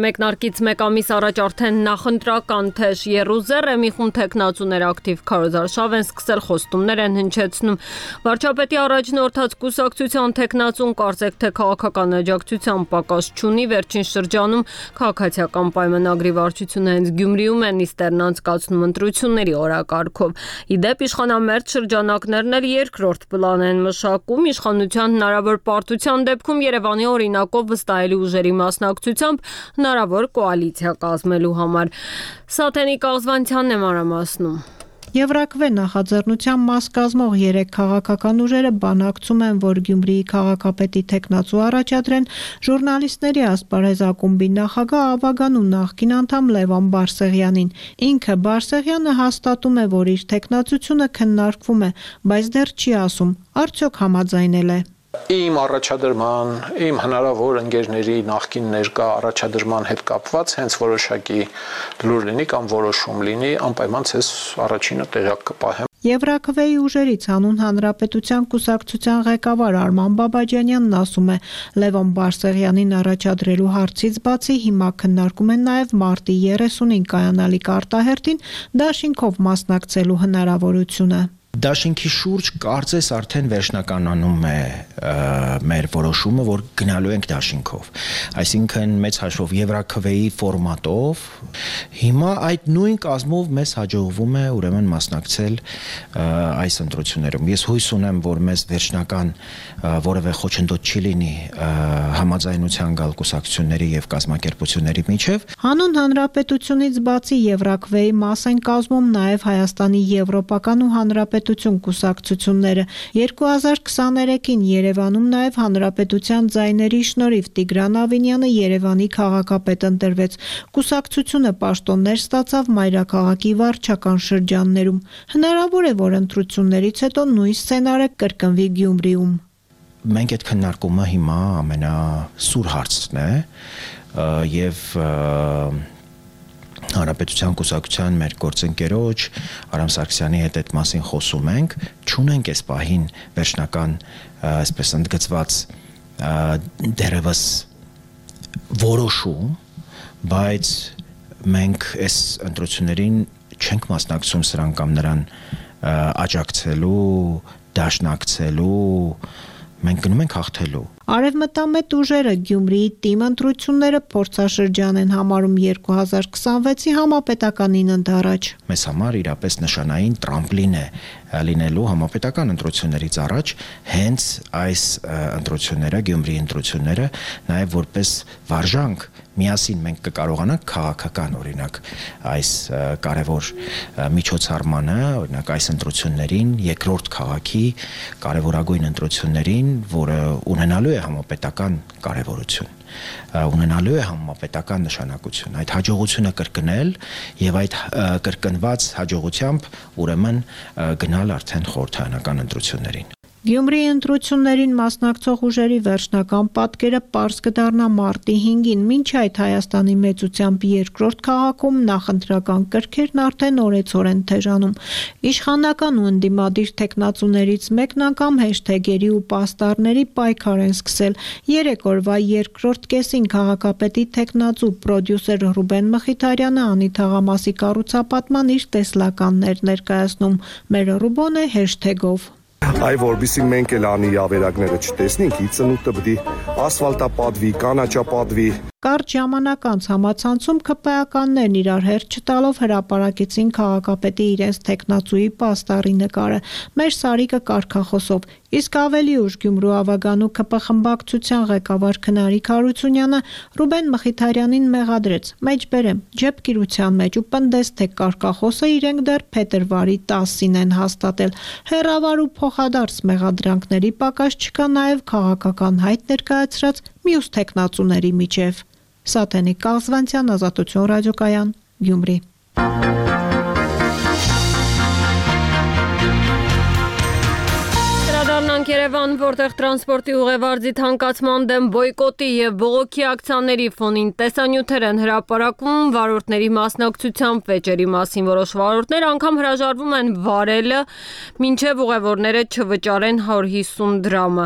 մեկնարկից մեկ ամիս առաջ արդեն նախընտրական թեժ եռուզեռ է, մի խումբ թեկնածուներ ակտիվ քառ հազար շավ են սկսել, խոստումներ են հնչեցնում։ Վարչապետի առաջնորդած կուսակցության թեկնածուն կարծեք թե քաղաքական աջակցության պակաս չունի, վերջին շրջանում քաղաքացիական պայմանագրի վարչությունը հենց Գյումրիում է նիստերն անցկացնում ընտրությունների օրակարգով։ Իդեպ իշխանամերձ շրջանակներն էլ երկրորդ պլան են մշակում իշխանության հնարավոր պարտության դեպքում Երևանի օրինակով վստահելի ուժերի մասնակցությամբ հնարավոր կոալիցիա կազմելու համար։ Սաթենիկ Աղզվանցյանն է մանրամասնում։ Եվրաքվե նախաձեռնության մաս կազմող երեք քաղաքական ուժերը բանակցում են, որ Գյումրիի քաղաքապետի թեկնածու առաջադրեն ժուրնալիստների ասպարեզ ակումբի նախագահ Ավագանու նախկին անդամ Լևոն Բարսեղյանին։ Ինքը Բարսեղյանը հաստատում է, որ իր թեկնածությունը քննարկվում է, բայց դեռ չի ասում, արդյոք համաձայնել է։ Իմ առաջադրման, իմ հնարավոր ընկերների նախկին ներկա առաջադրման հետ կապված հենց որոշակի լուր լինի կամ որոշում լինի, անպայման ցես առաջինը տեղյակ կպահեմ։ Եվրաքվեի ուժերից հանուն հանրապետության կուսակցության ղեկավար Արման Բաբաջանյանն ասում է, Լևոն Բարսեղյանին առաջադրելու հարցից բացի հիմա քննարկում են նաև մարտի երեսունին կայանալիք արտահերթին դաշինքով մասնակցելու հնարավորությունը։ Դաշինքի շուրջ կարծես արդեն վերջնականանում է մեր որոշումը, որ գնալու ենք դաշինքով։ Այսինքն մեծ հաշվով Եվրաքվեի ֆորմատով հիմա այդ նույն կազմով մեզ հաջողվում է ուրեմն մասնակցել այս ընտրություններում։ Ես հույս ունեմ, որ մեզ վերջնական որևէ խոչընդոտ չի լինի համաձայնության գալ կուսակցությունների եւ կազմակերպությունների միջև։ Հանուն հանրապետությունից բացի Եվրաքվեի մաս են կազմում նաև Հայաստանի եվրոպական ու հանրապետություն կուսակցությունները։ երկու հազար քսաներեքին Երևանում նաև հանրապետության ձայների շնորհիվ Տիգրան Ավինյանը Երևանի քաղաքապետ ընտրվեց։ Կուսակցությունը պաշտոններ ստացավ մայրաքաղաքի վարչական շրջաններում։ Հնարավոր է, որ ընտրություններից հետո նույն սցենարը կրկնվի Գյումրիում։ Մենք այդ քննարկումը հիմա ամենասուր հարցն է եւ Հանրապետության կուսակցության մեր գործընկերոջ Արամ Սարգսյանի հետ այդ մասին խոսում ենք, չունենք այս պահին վերջնական, այսպես ընդգծված դերևս որոշում, բայց մենք այս ընտրություններին չենք մասնակցում սրան կամ նրան աջակցելու, դաշնակցելու, մենք գնում ենք հաղթելու։ Արևմտամետ ուժերը Գյումրիի թիմ ընտրությունները փորձաշրջան են համարում երկու հազար քսանվեցի համապետականին ընդառաջ։ Մեզ համար իրապես նշանային տրամպլին է լինելու համապետական ընտրություններից առաջ հենց այս ընտրությունները, Գյումրիի ընտրությունները, նաև որպես վարժանք միասին մենք կկարողանանք քաղաքական օրինակ այս կարևոր միջոցառմանը, օրինակ այս ընտրություններին, երկրորդ քաղաքի կարևորագույն ընտրություններին, որը ունենալու է համապետական կարևորություն, ունենալու է համապետական նշանակություն, այդ հաջողությունը կրկնել եւ այդ կրկնված հաջողությամբ ուրեմն գնալ արդեն խորհրդարանական ընտրություններին։ Գյումրիի ընտրություններին մասնակցող ուժերի վերջնական պատկերը պարզ կդառնա մարտի հինգին, մինչ այդ Հայաստանի մեծությամբ երկրորդ քաղաքում նախընտրական կրքերն արդեն օրեցօր են թեժանում։ Իշխանական ու ընդդիմադիր թեկնածուներից մեկն անգամ հեշթեգերի ու պաստառների պայքար են սկսել։ Երեք օրվա երկրորդ կեսին քաղաքապետի թեկնածու պրոդյուսեր Ռուբեն Մխիթարյանը անի թաղամասի կառուցապատման իր տեսլականներ ներկայացնում։ Մեր Ռուբոնը հեշթեգով Այ որբիսի մենք էլ անի ավերակները չտեսնենք, ի ծնուտը պիտի ասֆալտապատվի, կանաչապատվի։ Կարճ ժամանակ անց համացանցում ԿՊԱ-ականներն իրար հերթ չտալով հրապարակեցին քաղաքապետի իրենց թեկնածուի պաստառի նկարը։ Մեր Սարիկը կարգախոսով, իսկ ավելի ուշ Գյումրու ավագանու ԿՊ խմբակցության ղեկավար Քնարիկ Հարությունյանը Ռուբեն Մխիթարյանին մեղադրեց. «Մեջբերեմ, ջեպկիրության մեջ ու պնդես, թե կարգախոսը իրենք դեռ փետրվարի տասին են հաստատել»։ Հեռավար ու փոխադարձ մեղադրանքների պակաս չկա նաև քաղաքական հայտ ներկայացրած մյուս թեկնածուների միջև։ Սաթենիկ Կաղզվանցյան, Ազատություն ռադիոկայան, Գյումրի։ Երևան, որտեղ տրանսպորտի ուղևորձի թանկացման դեմ բոյկոտի եւ բողոքի ակցիաների ֆոնին տեսանյութեր են հրապարակվում վարորդների մասնակցությամբ վեճերի մասին, որոշ վարորդներ անգամ հրաժարվում են վարելը, մինչեւ ուղևորները չվճարեն հարյուր հիսուն դրամը։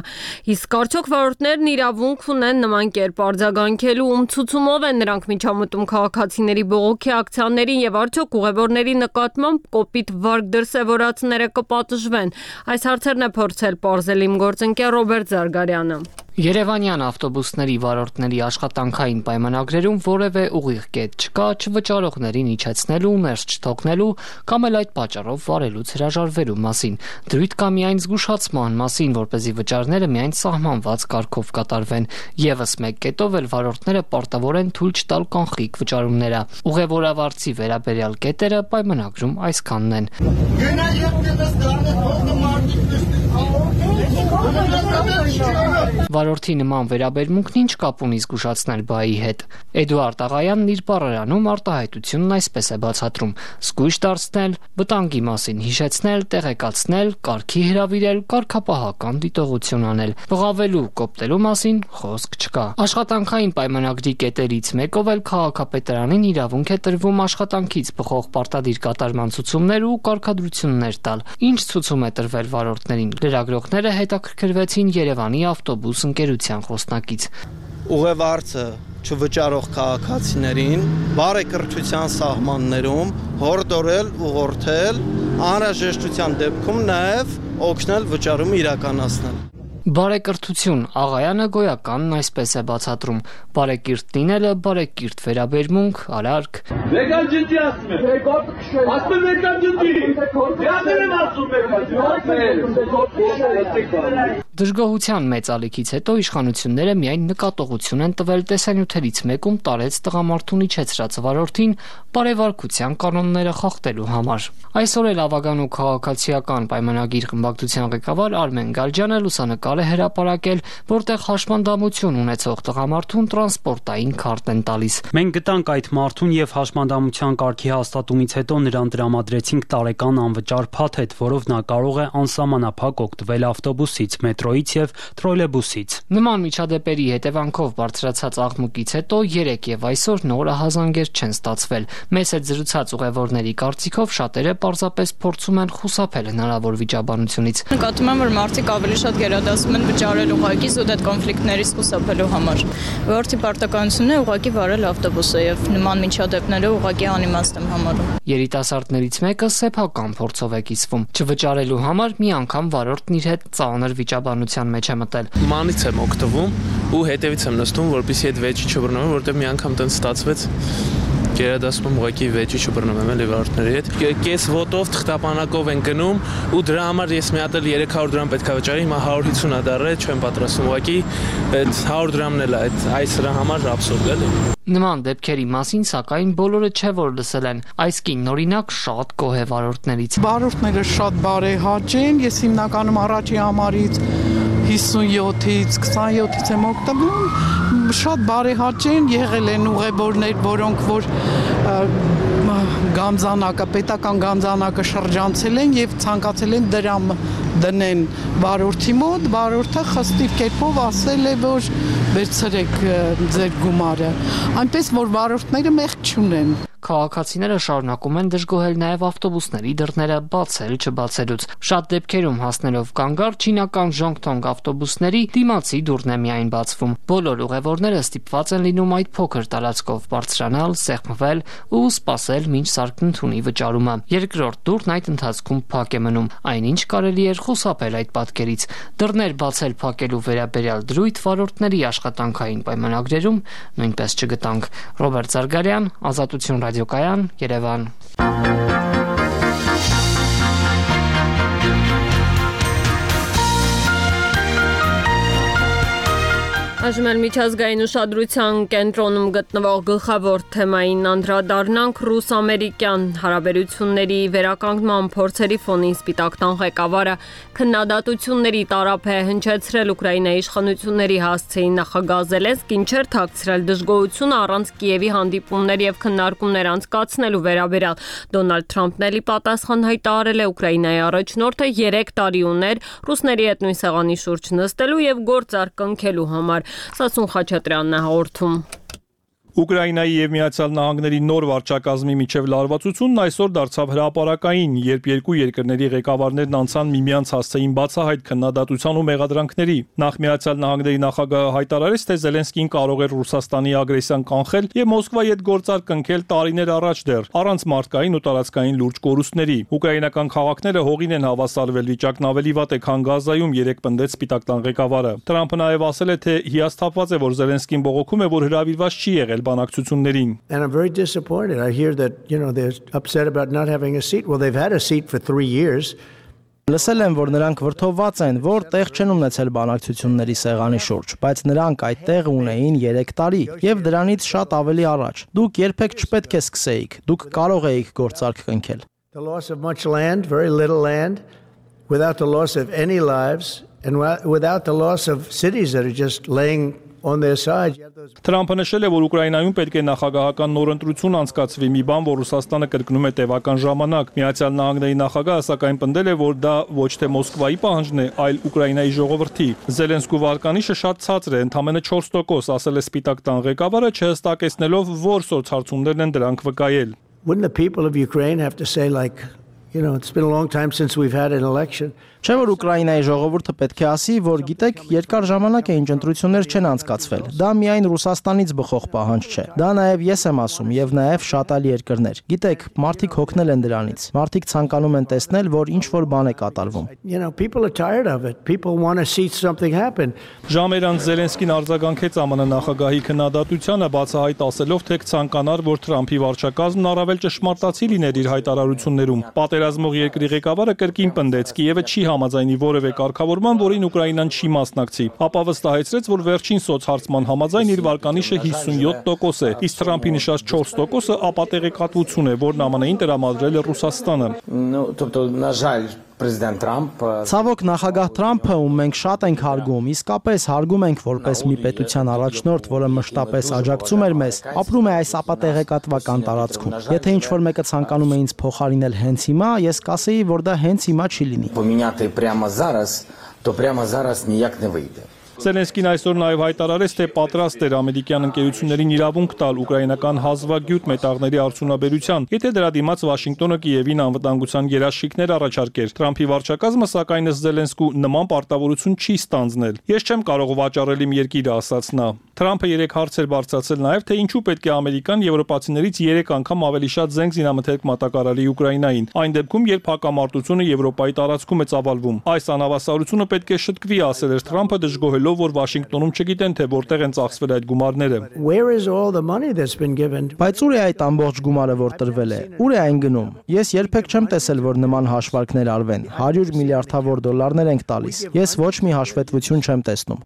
Իսկ արդյոք վարորդներն իրավունք ունեն նման կերպ արձագանքելու, ում ցուցումով են նրանք միջամտում քաղաքացիների բողոքի ակցիաներին եւ արդյոք ուղևորների նկատմամբ կոպիտ վարք դրսեւորածները կպատժվեն։ Այս հարցերն է փորձել պարզել իմ գործընկեր Ռոբերտ Զարգարյանը։ Երևանյան ավտոբուսների վարորդների աշխատանքային պայմանագրերում որևէ ուղիղ կետ չկա չվճարողներին իջեցնելու, ներս չթողնելու կամ էլ այդ պատճառով վարելուց հրաժարվելու մասին։ Դրույթ կա միայն զգուշացման մասին, որպեսզի վճարները միայն սահմանված կարգով կատարվեն։ Եվս մեկ կետով էլ վարորդները պարտավոր են թույլ չտալ կանխիկ վճարումները։ Ուղևորավարձի վերաբերյալ կետերը պայմանագրում այսքանն են։ Վարորդի նման վերաբերմունքն ինչ կապ ունի զգուշացնել բայի հետ։ Էդուարդ Աղայանն իր բառարանում արտահայտությունն այսպես է բացատրում. զգույշ դարձնել, վտանգի մասին հիշեցնել, տեղեկացնել, կարգի հրավիրել, կարգապահական դիտողություն անել։ Բղավելու, կոպտելու մասին խոսք չկա։ Աշխատանքային պայմանագրի կետերից մեկով էլ քաղաքապետարանին իրավունք է տրվում աշխատանքից բխող պարտադիր կատարման ցուցումներ ու կարգադրություններ տալ։ Ինչ ցուցում է տրվել վարորդներին։ Լրագրողները հետաքրքրվեցին Երևանի ավտոբուս ընկերության խոսնակից։ Ուղևորձը չվճարող քաղաքացիներին բարեկրթության սահմաններում հորդորել, ուղղորդել, անհրաժեշտության դեպքում նաև օգնել վճարումը իրականացնել։ Բարեկրթություն Աղայանը գոյականն այսպես է բացատրում. բարեկիրթ լինելը, բարեկիրթ վերաբերմունք, արարք։ Մեկան ջնջի ասում է։ Ասում է մեկան ջնջի։ Դրաներ եմ ասում մեկան։ Դժգոհության մեծ ալիքից հետո իշխանությունները միայն նկատողություն են տվել տեսանյութերից մեկում տարեց տղամարդուն իջեցրած վարորդին բարևարկության կանոնները խախտելու համար։ Այսօր էլ ավագանու քաղաքացիական պայմանագիր խմբակցության ղեկավար Արմեն Գալջյանը լուսանկար է հրապարակել, որտեղ հաշմանդամություն ունեցող տղամարդուն տրանսպորտային քարտ են տալիս։ Մենք գտանք այդ մարդուն եւ հաշմանդամության կարգի հաստատումից հետո նրան տրամադրեցինք տարեկան անվճար փաթեթ, որով նա կարող է անսահմանափակ օգտվել ավտոբուսից, մետրոյից մետրոյից եւ թրոլեյբուսից։ Նման միջադեպերի հետևանքով բարձրացած աղմուկից հետո երեկ եւ այսօր նոր ահազանգեր չեն ստացվել։ Մեծ հետ զրուցած ուղևորների կարծիքով շատերը պարզապես փորձում են խուսափել հնարավոր վիճաբանությունից։ Նկատում եմ, որ մարդիկ ավելի շատ գերադասում են վճարել ուղղակի զուտ այդ կոնֆլիկտներից խուսափելու համար։ Որտի պարտականությունն է ուղղակի վարել ավտոբուսը եւ նման միջադեպները ուղղակի անիմաստ եմ համարում։ Երիտասարդներից մեկը սեփական փորձով է կիսվում։ Չվճարելու համար մի անգամ վարորդն իր հետ ծանր վիճաբանության մեջ է մտել։ Մանից եմ օգտվում ու հետևից եմ նստում, որպեսզի այդ վեճի չբռնեմ, որտեղ մի անգամ տենց ստացվեց։ Գերադասում եմ ուղղակի վեճի չբռնում եմ էլի վարորդների հետ։ Կես ոտով թղթապանակով են գնում ու դրա համար ես մի հատ էլ երեք հարյուր դրամ պետք է վճարեի, հիմա հարյուր հիսուն ա դառել, չեմ պատրաստում ուղղակի այդ հարյուր դրամն էլ է, այդ այս դրա համար աբսուրդ էլի։ Նման դեպքերի մասին սակայն բոլորը չէ որ լսել են։ Այս կինն օրինակ շատ գոհ է վարորդներից։ Վարորդները շատ բարեհաճ են, ես հիմնականում առաջի համարից հիսունյոթից քսանյոթից եմ օգտվում, շատ բարեհաճ են, եղել են ուղևորներ, որոնք որ գամզանակը, պետական գամզանակը շրջանցել են եւ ցանկացել են դրամ դնեն վարորդի մոտ, վարորդը խստիվ կերպով ասել է, որ վերցրեք ձեր գումարը, այնպես որ վարորդները մեղք չունեն։ Քաղաքացիները շարունակում են դժգոհել նաև ավտոբուսների դռները բացել չբացելուց։ Շատ դեպքերում հասնելով կանգառ չինական ժոնգթոնգ ավտոբուսների դիմացի դուռն է միայն բացվում։ Բոլոր ուղևորները ստիպված են լինում այդ փոքր տարածքով բարձրանալ, սեղմվել ու սպասել մինչ սարքնթունի վճարումը։ Երկրորդ դուռն այդ ընթացքում փակ է մնում։ Այնինչ կարելի էր խուսափել այդ պատկերից։ Դռներ բացել փակելու վերաբերյալ դրույթ վարորդների աշխատանքային պայմանագրերում նույնպես չգտանք։ Ռոբերտ Զարգարյան, Ազատություն Ռադիոկայան, Երևան։ Այժմ էլ միջազգային ուշադրության կենտրոնում գտնվող գլխավոր թեմային անդրադառնանք ռուս-ամերիկյան հարաբերությունների վերականգնման փորձերի ֆոնին Սպիտակ տան ղեկավարը քննադատությունների տարափ է հնչեցրել Ուկրաինայի իշխանությունների հասցեին նախագահ Զելենսկին չէր թաքցրել դժգոհությունը առանց Կիևի հանդիպումներ եւ քննարկումներ անցկացնելու վերաբերյալ։ Դոնալդ Թրամփն էլի պատասխան հայտարարել է Ուկրաինայի առաջնորդը երեք տարի ուներ ռուսների հետ նույն սեղանի շուրջ նստելու եւ գործարք կնքելու համար։ Սասուն Խաչատրյանն է հաղորդում։ Ուկրաինայի եւ Միացյալ Նահանգների նոր վարչակազմի միջև լարվածությունն այսօր դարձավ հրապարակային, երբ երկու երկրների ղեկավարներն անցան միմյանց հասցեին բացահայտ քննադատության ու մեղադրանքների։ Նախ Միացյալ Նահանգների նախագահը հայտարարեց, թե Զելենսկին կարող էր Ռուսաստանի ագրեսիան կանխել եւ Մոսկվայի հետ գործարք կնքել տարիներ առաջ դեռ, առանց մարդկային ու տարածքային լուրջ կորուստների։ Ուկրաինական քաղաքները հողին են հավասարվել, վիճակն ավելի վատ է, քան Գազայում, երեք պնդեց Սպիտակ տան ղեկավարը։ Թրամփը նաեւ ասել է, թե հիասթափված է, որ Զելենսկին բողոքում է, որ հրավիրված չի եղել բանակցություններին։ And I'm very disappointed. I hear that, you know, they're upset about not having a seat. Well, they've had a seat for three years. Լսել եմ, որ նրանք վրդովված են, որ տեղ չեն ունեցել բանակցությունների սեղանի շուրջ, բայց նրանք այդ տեղը ունեին երեք տարի եւ դրանից շատ ավելի առաջ։ Դուք երբեք չպետք է սկսեիք։ Դուք կարող էիք գործարք կնքել։ The loss of much land, very little land, without the loss of any lives and without the loss of cities that are just laying on their side. Թրամփը նշել է, որ Ուկրաինայում պետք է նախագահական նոր ընտրություն անցկացվի, մի բան, որ Ռուսաստանը կրկնում է տևական ժամանակ։ Միացյալ Նահանգների նախագահը սակայն պնդել է, որ դա ոչ թե Մոսկվայի պահանջն է, այլ Ուկրաինայի ժողովրդի։ Զելենսկու վարկանիշը շատ ցածր է, ընդամենը չորս տոկոս, ասել է Սպիտակ տան ղեկավարը, չհստակեցնելով, որ սոցհարցումներն են դրանք վկայել։ Wouldn't the people of Ukraine have to say like, you know, it's been a long time since we've had an election. Չէ՞ որ Ուկրաինայի ժողովուրդը պետք է ասի, որ գիտեք, երկար ժամանակ է ինչ ընտրություններ չեն անցկացվել։ Դա միայն Ռուսաստանից բխող պահանջ չէ։ Դա նաև ես եմ ասում եւ նաև շատ այլ երկրներ։ Գիտեք, մարդիկ հոգնել են դրանից։ Մարդիկ ցանկանում են տեսնել, որ ինչ որ բան է կատարվում։ You know, people are tired of it. People want to see something happen. Ժամեր անց Զելենսկին արձագանքեց ԱՄՆ նախագահի քննադատությանը, բացահայտ ասելով, թե ցանկանար, որ Թրամփի վարչակազմն առավել ճշմարտացի լիներ իր հայտարարություններում։ Պատերազմող երկրի ղեկավարը կրկին պնդեց, Կիևը չի համաձայնի որևէ կարգավորման, որին Ուկրաինան չի մասնակցի։ Ապա վստահեցրեց, որ վերջին սոցհարցման համաձայն իր վարկանիշը հիսունյոթ տոկոս է, իսկ Թրամփի նշած չորս տոկոսը ապատեղեկատվություն է, որն ԱՄՆ-ին տրամադրել է Ռուսաստանը։ Ну, тобто, на жаль, Պրեզիդենտ Թրամփը Ցավոք նախագահ Թրամփը, ում մենք շատ ենք հարգում, իսկապես հարգում ենք որպես մի պետության առաջնորդ, որը մշտապես աջակցում էր մեզ, ապրում է այս ապատեղեկատվական տարածքում։ Եթե ինչ-որ մեկը ցանկանում է ինձ փոխարինել հենց հիմա, ես կասեի, որ դա հենց հիմա չի լինի։ Поміняти прямо зараз то прямо зараз ніяк не вийде. Զելենսկին այսօր նաև հայտարարեց, թե պատրաստ էր ամերիկյան ընկերություններին իրավունք տալ ուկրաինական հազվագյուտ մետաղների արդյունաբերության, եթե դրա դիմաց Վաշինգտոնը Կիևին անվտանգության երաշխիքներ առաջարկեր։ Թրամփի վարչակազմը սակայն ըստ Զելենսկու նման պարտավորություն չի ստանձնել։ Ես չեմ կարող վաճառել իմ երկիրը, ասաց նա։ Թրամփը երեք հարցեր բարձրացել նաև, թե ինչու պետք է ամերիկան եվրոպացիներից երեք անգամ ավելի շատ զենք զինամթերք մատակարարի Ուկրաինային, այն դեպքում, երբ հակամարտությունը Եվրոպայի տարածքում է ծավալվում։ Այս անհավասարությունը պետք է շտկվի, ասել էր Թրամփը, դժգոհելով, որ Վաշինգտոնում չգիտեն, թե որտեղ են ծախսվել այդ գումարները։ Բայց ուր է այդ ամբողջ գումարը, որ տրվել է։ Ուր է այն գնում։ Ես երբեք չեմ տեսել, որ նման հաշվարկներ արվեն։ հարյուր միլիարդավոր դոլարներ ենք տալիս։ Ես ոչ մի հաշվետվություն չեմ տեսնում։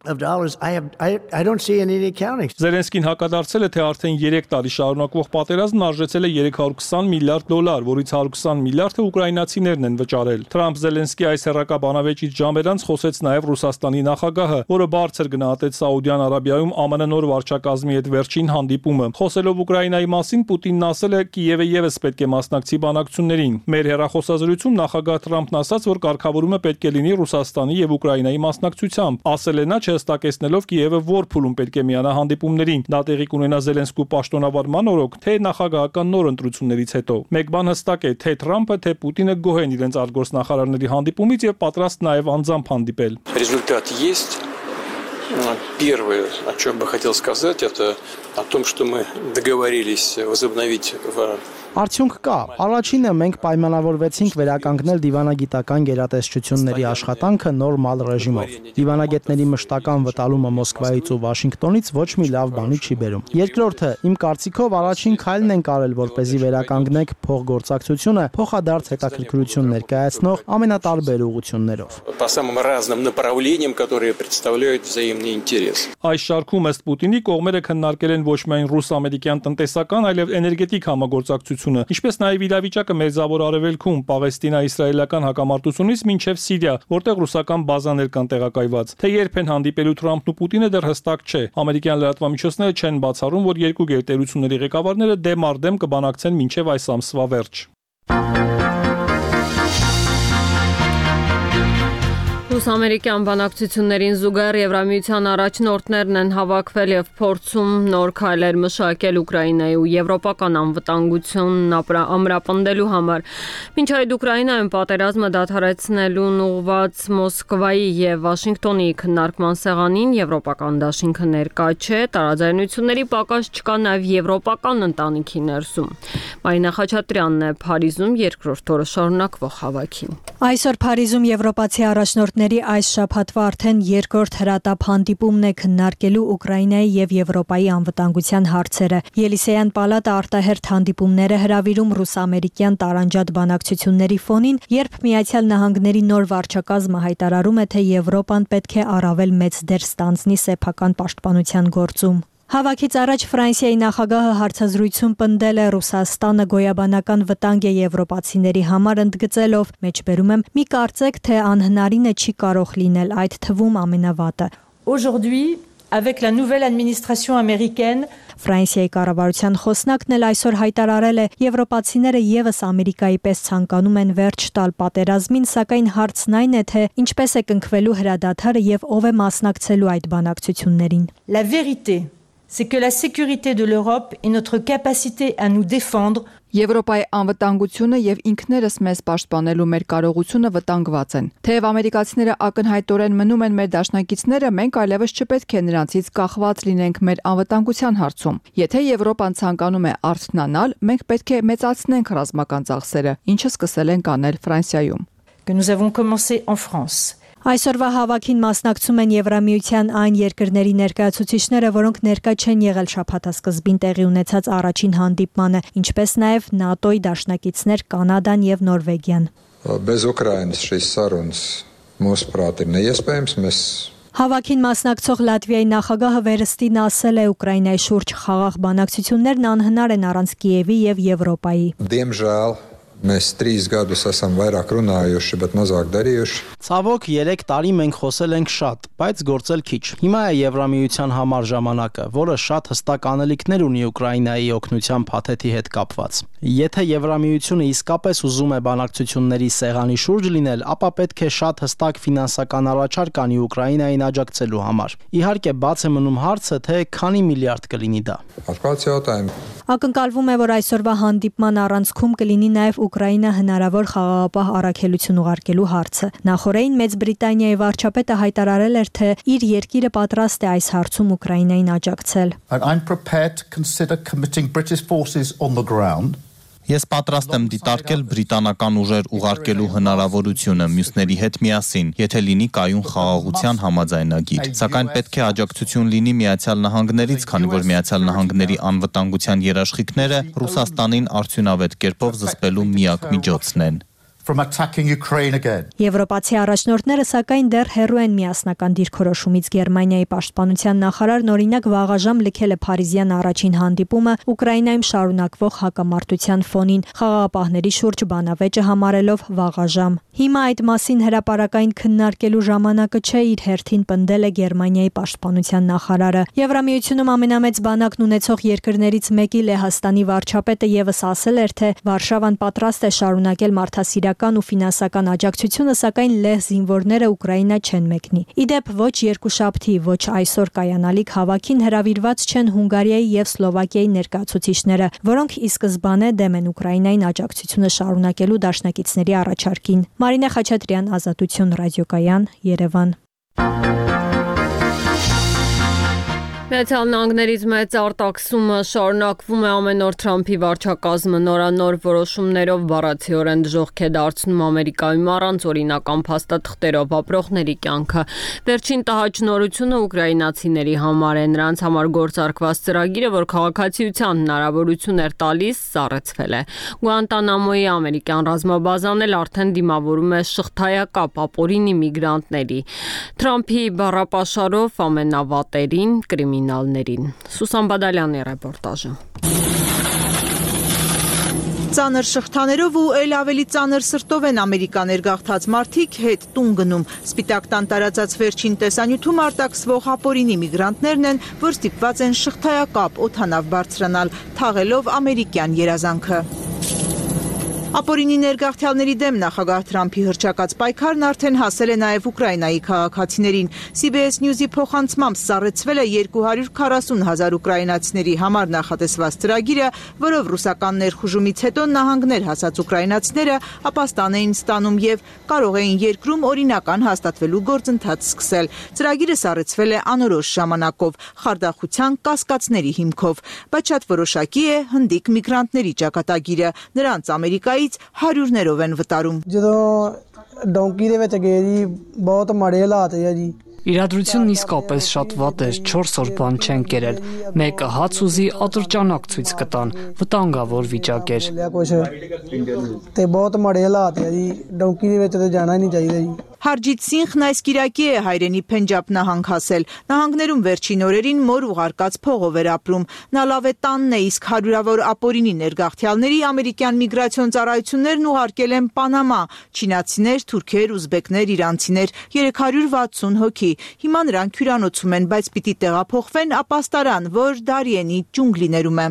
Զելենսկին հակադարձել է, թե արդեն երեք տարի շարունակվող պատերազմն արժեցել է երեք հարյուր քսան միլիարդ դոլար, որից հարյուր քսան միլիարդը ուկրաինացիներն են վճարել։ Թրամփ-Զելենսկի այս հերրակա բանավեճից ժամեր անց խոսեց նաև Ռուսաստանի նախագահը, որը բարձր գնահատեց Սաուդյան Արաբիայում ԱՄՆ նոր վարչակազմի հետ վերջին հանդիպումը։ Խոսելով Ուկրաինայի մասին, Պուտինն ասել է, Կիևը եւս պետք է մասնակցի բանակցություններին։ Մեր հեռախոսազրույցում նախագահ Թրամփն ասաց, որ կարգավորումը պետք է լինի Ռուսաստանի եւ Ուկրաինայի մասնակցությամբ։ Ասել է նա, չհստակեցնելով Կիևը որ փուլում պետք է միանա հանդիպումներին։ Դա տեղի կունենա Զելենսկու պաշտոնավարման օրոք, թե նախագահական նոր ընտրություններից հետո։ Մեկ бан հստակ է, թե Թրամփը, թե Պուտինը գոհ են իրենց արտգործնախարարների հանդիպումից եւ պատրաստ նաեւ անձամբ հանդիպել։ Результат есть. Первое, о чем бы хотел сказать, это о том, что мы договорились возобновить в Արդյունք կա։ Առաջինը մենք պայմանավորվեցինք վերականգնել դիվանագիտական գերատեսչությունների աշխատանքը նորմալ ռեժիմով։ Դիվանագետների մշտական վտալումը Մոսկվայից ու Վաշինգտոնից ոչ մի լավ բանի չի բերում։ Երկրորդը, իմ կարծիքով առաջին քայլն ենք արել, որպեսզի վերականգնենք փոխգործակցությունը փոխադարձ հետաքրքրություն ներկայացնող ամենատարբեր ուղղություններով։ По самым разным направлениям, которые представляют взаимный интерес. Այս շարքում ըստ Պուտինի կողմերը քննարկել են ոչ միայն ռուս-ամերիկյան տնտեսական, այլև էներգետիկ համագործակցություն, ինչպես նաև իրավիճակը Մերձավոր Արևելքում, Պաղեստինա-իսրայելական հակամարտությունից մինչև Սիրիա, որտեղ ռուսական բազաներ կան տեղակայված։ Թե երբ են հանդիպելու Թրամփն ու Պուտինը դեռ հստակ չէ։ Ամերիկյան լրատվամիջոցները չեն բացառում, որ երկու գերտերությունների ղեկավարները դեմ առ դեմ կբանակցեն մինչև այս ամսվա վերջ։ Ռուս-ամերիկյան բանակցություններին զուգահեռ Եվրամիության առաջնորդներն են հավաքվել եւ փորձում նոր քայլեր մշակել Ուկրաինայի ու եվրոպական անվտանգությունն ամրապնդելու համար։ Մինչ այդ Ուկրաինայում պատերազմը դադարեցնելուն ուղղված Մոսկվայի եւ Վաշինգտոնի քննարկման սեղանին եվրոպական դաշինքը ներկա չէ, տարաձայնությունների պակաս չկա նաեւ եվրոպական ընտանիքի ներսում։ Մարինա Խաչատրյանն է Փարիզում երկրորդ օրը շարունակվող հավաքին։ Այսօր Փարիզում եվրոպացի առաջնորդների այս շաբաթվա արդեն երկրորդ հրատապ հանդիպումն է քննարկելու Ուկրաինայի եւ Եվրոպայի անվտանգության հարցերը։ Ելիսեյան պալատը արտահերթ հանդիպումները հրավիրում ռուս-ամերիկյան տարանջատ բանակցությունների ֆոնին, երբ Միացյալ Նահանգների նոր վարչակազմը հայտարարում է, թե Եվրոպան պետք է առավել մեծ դեր ստանձնի սեփական պաշտպանության գործում։ Հավաքից առաջ Ֆրանսիայի նախագահը հարցազրույցում պնդել է Ռուսաստանը գոյաբանական վտանգ է եվրոպացիների համար, ընդգծելով. «Մեջբերում եմ, մի կարծեք, թե անհնարինը չի կարող լինել, այդ թվում ամենավատը»։ Aujourd'hui, avec la nouvelle administration américaine, Ֆրանսիայի կառավարության խոսնակն էլ այսօր հայտարարել է, եվրոպացիները եւս Ամերիկայի պես ցանկանում են վերջ տալ պատերազմին, սակայն հարցն այն է, թե ինչպես է կնքվելու հրադադարը եւ ով է մասնակցելու այդ բանակցություններին։ La vérité c'est que la sécurité de l'Europe et notre capacité à nous défendre Եվրոպայի անվտանգությունը եւ ինքներս մեզ պաշտպանելու մեր կարողությունը վտանգված են։ Թեև ամերիկացիները ակնհայտորեն մնում են մեր դաշնակիցները, մենք այլևս չպետք է նրանցից կախված լինենք մեր անվտանգության հարցում։ Եթե Եվրոպան ցանկանում է արթնանալ, մենք պետք է մեծացնենք ռազմական ծախսերը, ինչը սկսել ենք անել Ֆրանսիայում։ Que nous avons commencé en France. Այսօրվա հավաքին մասնակցում են Եվրամիության այն երկրների ներկայացուցիչները, որոնք ներկա չեն եղել շաբաթասկզբին տեղի ունեցած առաջին հանդիպմանը, ինչպես նաև ՆԱՏՕ-ի դաշնակիցներ Կանադան եւ Նորվեգիան։ Bez Ukrainas šīs sarunas mūsu prāt ir neiespējams. Mēs Հավաքին մասնակցող Լատվիայի նախագահը վերստին ասել է, Ուկրաինայի շուրջ խաղաղ բանակցություններն անհնար են առանց Կիևի եւ Եվրոպայի։ Diemžēl Mēs trīs gadus esam vairāk runājuši, bet mazāk darījuši. Ցավոք երեք տարի մենք խոսել ենք շատ, բայց գործել քիչ։ Հիմա է Եվրամիության համար ժամանակը, որը շատ հստակ անելիքներ ունի Ուկրաինայի օգնության փաթեթի հետ կապված։ Եթե Եվրամիությունը իսկապես ուզում է բանակցությունների սեղանի շուրջ լինել, ապա պետք է շատ հստակ ֆինանսական առաջարկ անի Ուկրաինային աջակցելու համար։ Իհարկե, բաց է մնում հարցը, թե քանի միլիարդ կլինի դա։ Ակնկալվում է, որ այսօրվա հանդիպման առանցքում կլինի նաև Ուկրաինա հնարավոր խաղաղապահ առաքելություն ուղարկելու հարցը։ Նախորդին Մեծ Բրիտանիայի վարչապետը հայտարարել էր, թե իր երկիրը պատրաստ է այս հարցում Ուկրաինային աջակցել։ I'm prepared to consider committing British forces on the ground. Ես պատրաստ եմ դիտարկել բրիտանական ուժեր ուղարկելու հնարավորությունը մյուսների հետ միասին, եթե լինի կայուն խաղաղության համաձայնագիր։ Սակայն պետք է աջակցություն լինի Միացյալ Նահանգներից, քանի որ Միացյալ Նահանգների անվտանգության երաշխիքները Ռուսաստանին արդյունավետ կերպով զսպելու միակ միջոցն են։ From attacking Ukraine again. Եվրոպացի առաջնորդները սակայն դեռ հեռու են միասնական դիրքորոշումից։ Գերմանիայի պաշտպանության նախարարն օրինակ վաղաժամ լքել է Փարիզյան առաջին հանդիպումը Ուկրաինայում շարունակվող հակամարտության ֆոնին, խաղաղապահների շուրջ բանավեճը համարելով վաղաժամ։ Հիմա այդ մասին հրապարակային քննարկելու ժամանակը չէ, իր հերթին պնդել է Գերմանիայի պաշտպանության նախարարը։ Եվրամիությունում ամենամեծ բանակն ունեցող երկրներից մեկի Լեհաստանի վարչապետը եւս ասել էր, թե Վարշավան պատրաստ է շարունակել մարդասիրական ու ֆինանսական աջակցությունը, սակայն լեհ զինվորները Ուկրաինա չեն մեկնի։ Իդեպ ոչ երկուշաբթի, ոչ այսօր կայանալիք հավաքին հրավիրված չեն Հունգարիայի եւ Սլովակիայի ներկայացուցիչները, որոնք ի սկզբանե դեմ են Ուկրաինային աջակցությունը շարունակելու դաշնակիցների առաջարկին։ Մարինե Խաչատրյան, Ազատություն ռադիոկայան, Երևան։ Միացյալ Նահանգներից մեծ արտաքսումը շարունակվում է ամեն օր Թրամփի վարչակազմը նորանոր որոշումներով բառացիորեն դժոխք է դարձնում Ամերիկայում առանց օրինական փաստաթղթերով ապրողների կյանքը։ Վերջին տհաճ նորությունը ուկրաինացիների համար է, նրանց համար գործարկված ծրագիրը, որ քաղաքացիության հնարավորություն էր տալիս, սառեցվել է։ Գուանտանամոյի ամերիկյան ռազմաբազան էլ արդեն դիմավորում է շղթայակապ ապօրինի միգրանտների։ Թրամփի բառապաշարով ամենավատերին կրիմինալներին։ Սուսան Բադալյանի ռեպորտաժը։ Ծանր շղթաներով ու էլ ավելի ծանր սրտով են ամերիկաներ գաղթած մարդիկ հետ տուն գնում։ Սպիտակ տան տարածած վերջին տեսանյութում արտաքսվող ապօրինի միգրանտներն են, որ ստիպված են շղթայակապ օդանավ բարձրանալ, թաղելով ամերիկյան երազանքը։ Ապօրինի ներգաղթյալների դեմ նախագահ Թրամփի հռչակած պայքարն արդեն հասել է նաև Ուկրաինայի քաղաքացիներին։ Սի բի էս News-ի փոխանցմամբ սառեցվել է երկու հարյուր քառասուն հազար ուկրաինացիների համար նախատեսված ծրագիրը, որով ռուսական ներխուժումից հետո նահանգներ հասած ուկրաինացիները ապաստան էին ստանում եւ կարող էին երկրում օրինական հաստատվելու գործընթաց սկսել։ Ծրագիրը սառեցվել է անորոշ ժամանակով, խարդախության կասկածների հիմքով, բայց շատ որոշակի է հնդիկ միգրանտների ճակատագիրը։ Նրանց Ամերիկայի հարյուրներով են վտարում։ Իրադրությունն իսկապես շատ վատ էր, չորս օր բան չեն կերել։ Մեկը հաց ուզի ատրճանակ ցույց կտան, վտանգավոր վիճակ էր։ Հարջիտ Սինխն այս կիրակի է հայրենի Փենջաբ նահանգ հասել։ Նահանգներում վերջին օրերին մոր ուղարկած փողով էր ապրում։ Նա լավ է տանն է, իսկ հարյուրավոր ապօրինի ներգաղթյալների ամերիկյան միգրացիոն ծառայություններն ուղարկել են Պանամա։ Չինացիներ, թուրքեր, ուզբեկներ, իրանցիներ, երեք հարյուր վաթսուն հոգի։ Հիմա նրանք հյուրանոցում են, բայց պիտի տեղափոխվեն ապաստարան, որ Դարիենի ջունգլիներում է։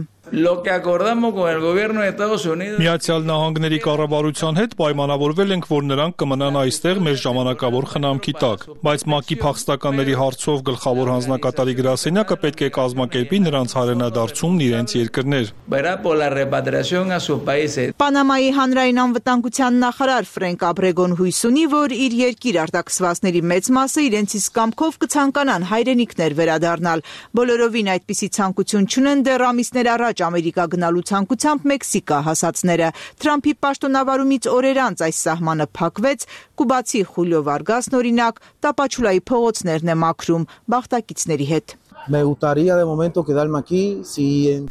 Միացյալ Նահանգների կառավարության հետ պայմանավորվել ենք, որ նրանք կմնան այստեղ մեր ժամանակավոր խնամքի տակ, բայց ՄԱԿ-ի փախստականների հարցով գլխավոր հանձնակատարի գրասենյակը պետք է կազմակերպի նրանց հայրենադարձումն իրենց երկրներ։ Պանամայի հանրային անվտանգության նախարար Ֆրենկ Աբրեգոն հույս ունի, որ իր երկիր արտաքսվածների մեծ մասը իրենց իսկ կամքով կցանկանան հայրենիքներ վերադառնալ։ Բոլորովին այդպիսի ցանկություն չունեն դեռ ամիսներ առաջ Ամերիկա գնալու ցանկությամբ Մեքսիկա հասածները։ Թրամփի պաշտոնավարումից օրեր անց այս սահմանը փակվեց, կուբացի Խուլիո Վարգասն օրինակ Տապաչուլայի փողոցներն է մաքրում բախտակիցների հետ։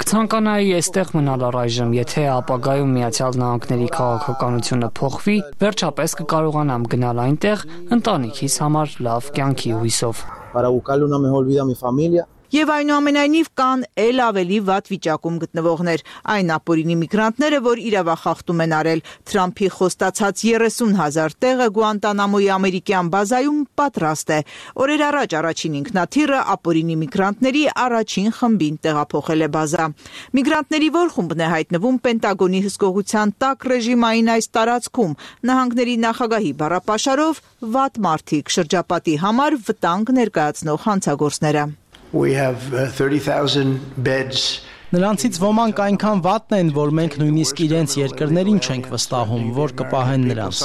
Կցանկանայի այստեղ մնալ առայժմ, եթե ապագայում Միացյալ Նահանգների քաղաքականությունը փոխվի, վերջապես կկարողանամ գնալ այնտեղ ընտանիքիս համար լավ կյանքի հույսով։ Եվ այնուամենայնիվ կան էլ ավելի վատ վիճակում գտնվողներ, այն ապօրինի միգրանտները, որ իրավախախտում են արել։ Թրամփի խոստացած երեսուն հազար տեղը Գուանտանամոյի ամերիկյան բազայում պատրաստ է։ Օրեր առաջ առաջին ինքնաթիռը ապօրինի միգրանտների առաջին խմբին տեղափոխել է բազա։ Միգրանտների որ խումբն է հայտնվում Պենտագոնի հսկողության տակ ռեժիմային այս տարածքում, նահանգների նախագահի բառապաշարով վատ մարդիկ, շրջապատի համար վտանգ ներկայացնող հանցագործները։ We have uh, thirty thousand beds. Նրանցից ոմանք այնքան վատն են, որ մենք նույնիսկ իրենց երկրներին չենք վստահում, որ կպահեն նրանց։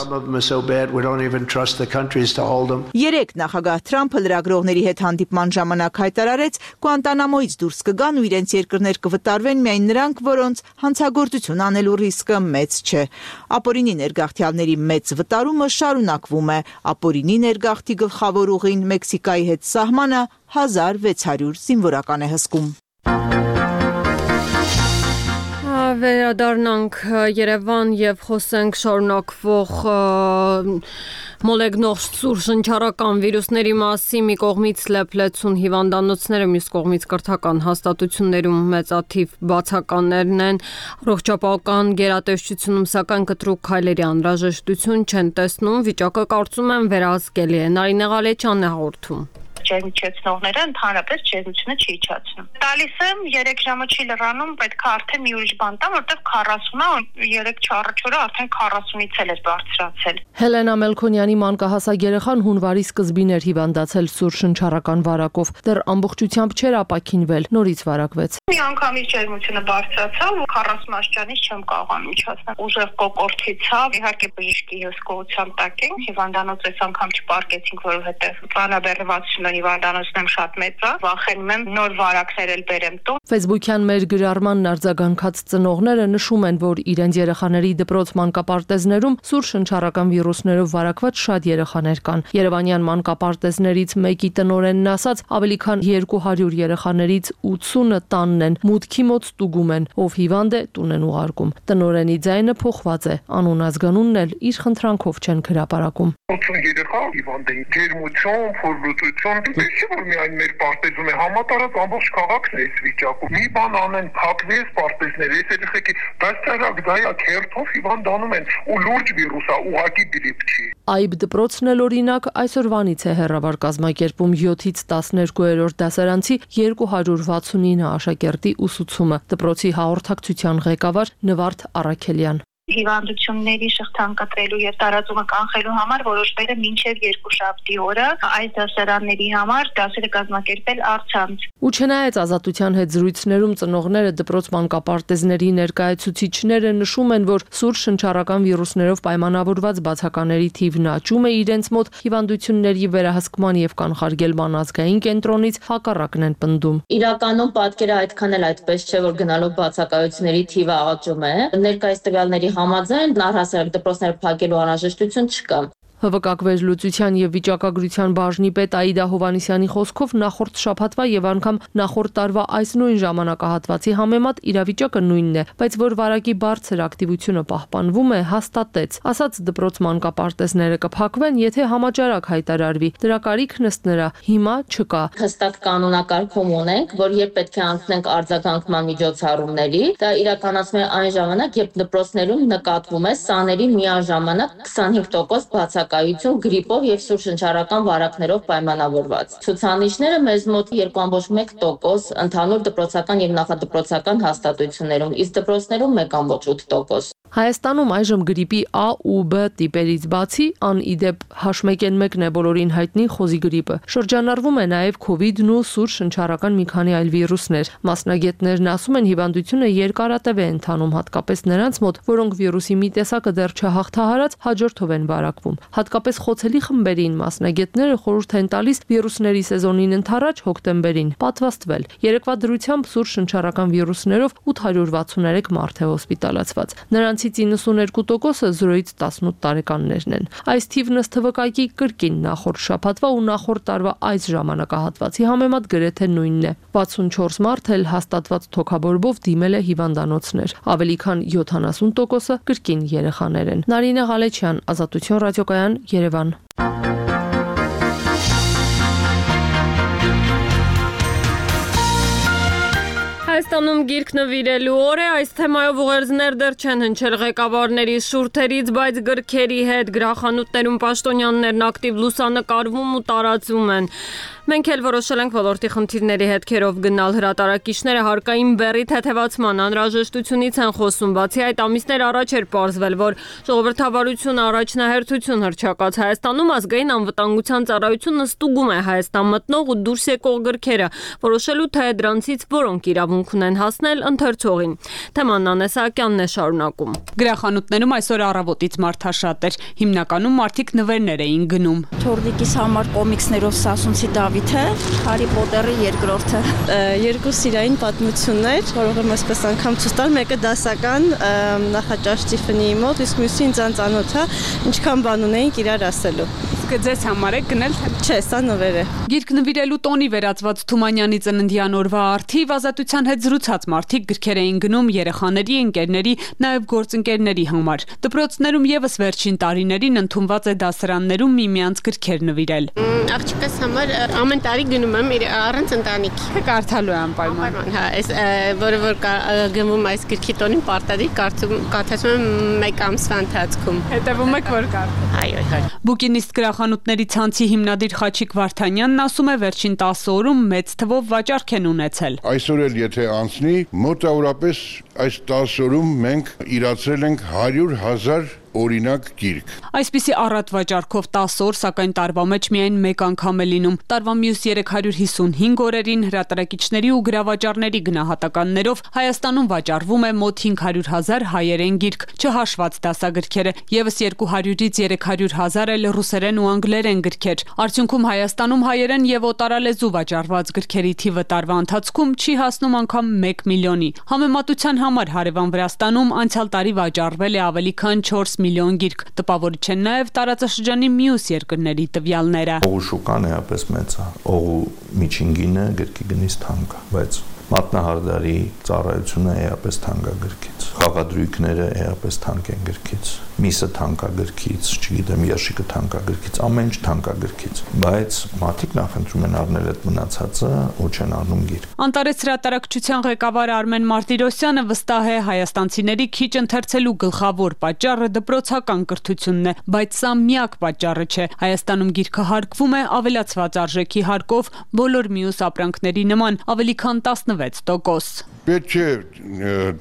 Երեկ նախագահ Թրամփը լրագրողների հետ հանդիպման ժամանակ հայտարարեց, Գուանտանամոյից դուրս կգան ու իրենց երկրներ կվտարվեն միայն նրանք, որոնց հանցագործություն անելու ռիսկը մեծ չէ։ Ապօրինի ներգաղթյալների մեծ վտարումը շարունակվում է։ Ապօրինի ներգաղթի գլխավոր ուղին Մեքսիկայի հետ սահմանը հազար վեց հարյուր զինվորական է հսկում։ Վերադառնանք Երևան եւ խոսենք շարունակվող մոլեգնող սուր շնչառական վիրուսների մասին։ Մի կողմից լեփլեցուն հիվանդանոցները, մյուս կողմից կրթական հաստատություններում մեծաթիվ բացականներն են։ Առողջապահական գերատեսչությունում սակայն կտրուկ քայլերի անհրաժեշտություն չեն տեսնում։ Վիճակը կարծում եմ վերահսկելի է։ Նարինե Ղալեչյանն է հաղորդում։ Ջերմիչեցնողները ընդհանրապես ջերմությունը չի իջացնում։ Տալիս եմ երեք ժամը չի լրանում, պետք է արդեն մի ուրիշ բան տամ, որտեղ քառասուն է, երեք չառաջորը արդեն քառասունից էլ է բարձրացել։ Հելենա Մելքոնյանի մանկահասակ երեխան հունվարի սկզբին էր հիվանդացել սուր շնչառական վարակով, դեռ ամբողջությամբ չէր ապաքինվել, նորից վարակվեց։ Մի անգամից ջերմությունը բարձրացավ, քառասուն աստիճանից չեմ կարողանում իջացնել։ Ուժեղ կոկորտիցավ, իհարկե բժշկի հսկողության տակ ենք, հիվանդանոց այս անգամ չպարկեցինք, որովհետև ծանրաբեռնվածությունը հիվանդանոցն եմ շատ մեծ է, վախենում եմ նոր վարակներ էլ բերեմ տուն։ Facebook-յան մեր գրառմանն արձագանքած ծնողները նշում են, որ իրենց երեխաների դպրոց մանկապարտեզներում սուր շնչառական վիրուսներով վարակված շատ երեխաներ կան։ Երևանյան մանկապարտեզներից մեկի տնօրենն ասաց, ավելի քան երկու հարյուր երեխաներից ութսունը տանն են, մուտքի մոտ ստուգում են, ով հիվանդ է տուն են ուղարկում։ Տնօրենի ձայնը փոխված է, անուն ազգանունն էլ իր խնդրանքով չեն հրապարակում։ ութսուն երեխա հիվանդ են, ջերմություն, ֆորլուծություն, դե որ միայն մեր պարտեզում է, համատարած ամբողջ քաղաքն է այս վիճակում։ Մի բան անեն, փակվի այս պարտեզները, այս երեխեքի բացառակ դայա քերթով հիվանդանում են ու լուրջ վիրուս է, ուղղակի գրիպ չի։ Այբ դպրոցն էլ օրինակ այսօրվանից է հեռավար կազմակերպում յոթից տասներկուերորդ դասարանցի երկու հարյուր վաթսունինը աշակերտի ուսուցումը։ Դպրոցի հաղորդակցության ղեկավար Նվարդ Առաքելյան։ Հիվանդությունների շղթան կտրելու եւ տարածումը կանխելու համար որոշվել է մինչեւ երկուշաբթի օրը այս դասարանների համար դասերը կազմակերպել առցանց։ Ու չնայած ազատության հետ զրույցներում ծնողները դպրոց մանկապարտեզների ներկայացուցիչները նշում են, որ սուր շնչառական վիրուսներով պայմանավորված բացակաների թիվն աճում է իրենց մոտ, հիվանդությունների վերահսկման եւ կանխարգելման ազգային կենտրոնից հակառակն են պնդում։ Իրականում պատկերը այդքան էլ այդպես չէ, որ գնալով բացակայությունների թիվը աճում է։ Ներկայիս տվյալների համաձայն առհասարակ դպրոցները փակելու անհրաժեշտություն չկա։ ՀՎԿ վերլուծության եւ վիճակագրության բաժնի պետ Աիդա Հովանիսյանի խոսքով նախորդ շաբաթվա եւ անգամ նախորդ տարվա այս նույն ժամանակահատվածի համեմատ իրավիճակը նույնն է, բայց որ վարակի բարձր ակտիվությունը պահպանվում է, հաստատեց։ Ասաց դպրոց մանկապարտեզները կփակվեն, եթե համաճարակ հայտարարվի։ Դրա կարիքն ըստ նրա հիմա չկա։ Հստակ կանոնակարգում ունենք, որ երբ պետք է անցնենք արձագանքման միջոցառումների, դա իրականացվում է այն ժամանակ, երբ դպրոցներում նկատվում է սաների միաժամանակ քսանհինգ տոկոս բացակայություն կայություն գրիպով եւ սուր շնչառական վարակներով պայմանավորված։ Ցուցանիշները մեզ մոտ երկու կόμμα մեկ տոկոս ընդհանուր դպրոցական եւ նախադպրոցական հաստատություններում, իսկ դպրոցներում մեկ կόμма ութ տոկոս։ Հայաստանում այժմ գրիպի A ու B տիպերից բացի ան իդեպ H մեկ N մեկն է բոլորին հայտնի խոզի գրիպը։ Շրջանառվում է նաև քովիդն ու սուր շնչառական մի քանի այլ վիրուսներ։ Մասնագետներն ասում են, հիվանդությունը երկարատև է ընթանում, հատկապես նրանց մոտ, որոնք վիրուսի մի տեսակը դեռ չհաղթահարած հաջորդով են վարակվում։ Հատկապես խոցելի խմբերին մասնագետները խորհուրդ են տալիս վիրուսների սեզոնին ընդառաջ հոկտեմբերին պատվաստվել։ Երեկվա դրությամբ սուր շնչառական վիրուսներով ութ հարյուր վաթսուներեք մարդ է հոսպիտալացված։ Նրանցից իննսուներկու տոկոսը զրոյից տասնութ տարեկաններն են։ Այս թիվն ըստ ՀՎԿ-ի կրկին նախորդ շաբաթվա ու նախորդ տարվա այս ժամանակահատվածի համեմատ գրեթե նույնն է։ վաթսունչորս մարդ էլ հաստատված թոքաբորբով դիմել է հիվանդանոցներ։ Ավելի քան յոթանասուն տոկոսը կրկին երեխաներ են։ Նարինե Ղալեչյան, Ազատություն ռադիոկայան, Երևան։ Հայաստանում գիրք նվիրելու օր է, այս թեմայով ուղերձներ դեռ չեն հնչել ղեկավարների շուրթերից, բայց գրքերի հետ գրախանութներում պաշտոնյաներն ակտիվ լուսանկարվում ու տարածում են։ Մենք էլ որոշել ենք ոլորտի խնդիրների հետքերով գնալ, հրատարակիչները հարկային բեռի թեթևացման անհրաժեշտությունից են խոսում, բացի այդ ամիսներ առաջ էր պարզվել, որ ժողովրդավարությունը առաջնահերթություն հռչակած Հայաստանում ազգային անվտանգության ծառայությունը ստուգում է Հայաստան մտնող ու դուրս եկող գրքերը, որոշելու թե դրանցից որոնք իրավունք ունեն հասնել ընթերցողին։ Թեման Անե Սահակյանն է շարունակում։ Գրախանութներում այսօր առավոտից մարդաշատ էր, հիմնականում մարդիկ նվերներ էին գնում։ Թորնիկիս համար կոմիքսներով Սասունցի Դավիթը, Հարի Պոտերի երկրորդը, երկու սիրային պատմություններ, որոնք եմ այսպես անգամ ցույց տալ, մեկը դասական նախաճաշ Տիֆանիի մոտ, իսկ մյուսը ինձ անծանոթ է, ինչքան բան ունեինք իրար ասելու։ Իսկ ձեզ համար է գնել թե չէ, սա նվեր է։ Գիրք նվիրելու տոնի վերածված Թումանյանի ծննդյան օրվա արդիվ ազատության հետ զրուցած մարդիկ գրքեր էին գնում երեխաների, ընկերների, նաև գործընկերների համար։ Դպրոցներում եւս վերջին տարիներին ընդունված է դասարաններում միմյանց գրքեր նվիրել։ Աղջիկս համար ամեն տարի գնում եմ առանց ընտանիքի։ Կարդալու է անպայման։ Հա, այս որը որ գնվում այս գրքի տոնին պարտադիր կարդացում եմ մեկ ամսվա ընթացքում։ Հետևում եք որ կարդա։ Այո, այո։ Բուկինիստ գրախանութների ցանցի հիմնադիր Խաչիկ Վարդանյանն ասում է վերջին տասը օրում մեծ թվով վաճառք են ունեցել։ Այսօր էլ եթե անցնի, մոտավորապես այս տասը օրում մենք իրացրել ենք հարյուր հազար օրինակ գիրք։ Այսպիսի առատ վաճառքով տասը օր, սակայն տարվա մեջ միայն մեկ անգամ է լինում։ Տարվա մյուս երեք հարյուր հիսունհինգ օրերին հրատարակիչների ու գրավաճառների գնահատականներով Հայաստանում վաճառվում է մոտ հինգ հարյուր հազար հայերեն գիրք, չհաշված դասագրքերը, եւս երկու հարյուրից երեք հարյուր հազար էլ ռուսերեն ու անգլերեն գրքեր։ Արդյունքում Հայաստանում հայերեն եւ օտարալեզու վաճառված գրքերի թիվը տարվա ընթացքում չի հասնում անգամ մեկ միլիոնի։ Համեմատության համար հարևան Վրաստանում անցյալ տարի վաճառվել է ավելի քան չորս միլիոն գիրք, տպավորիչ են նաև տարածաշրջանի մյուս երկրների տվյալները։ Օղու շուկան էապես մեծ է, օղու միջին գինը գրքի գնից թանկ է, բայց մատնահարդարի ծառայությունը էապես թանկ է գրքից, խաղադրույքները էապես թանկ են գրքից, միսը թանկ է գրքից, չգիտեմ, երշիկը թանկ է գրքից, ամեն ինչ թանկ է գրքից, բայց մարդիկ նախընտրում են առնել այդ մնացածը ու չեն առնում գիրք։ Անտարես հրատարակչության ղեկավար Արմեն Մարտիրոսյանը վստահ է Հայաստանցիների քիչ ընթերցելու գլխավոր պատճառը դպրոցական կրթությունն է, բայց սա միակ պատճառը չէ։ Հայաստանում գիրքը հարկվում է ավելացված արժեքի հարկով բոլոր մյուս ապրանքների նման, ավելի քան տասնվեց տոկոս։ Պետք է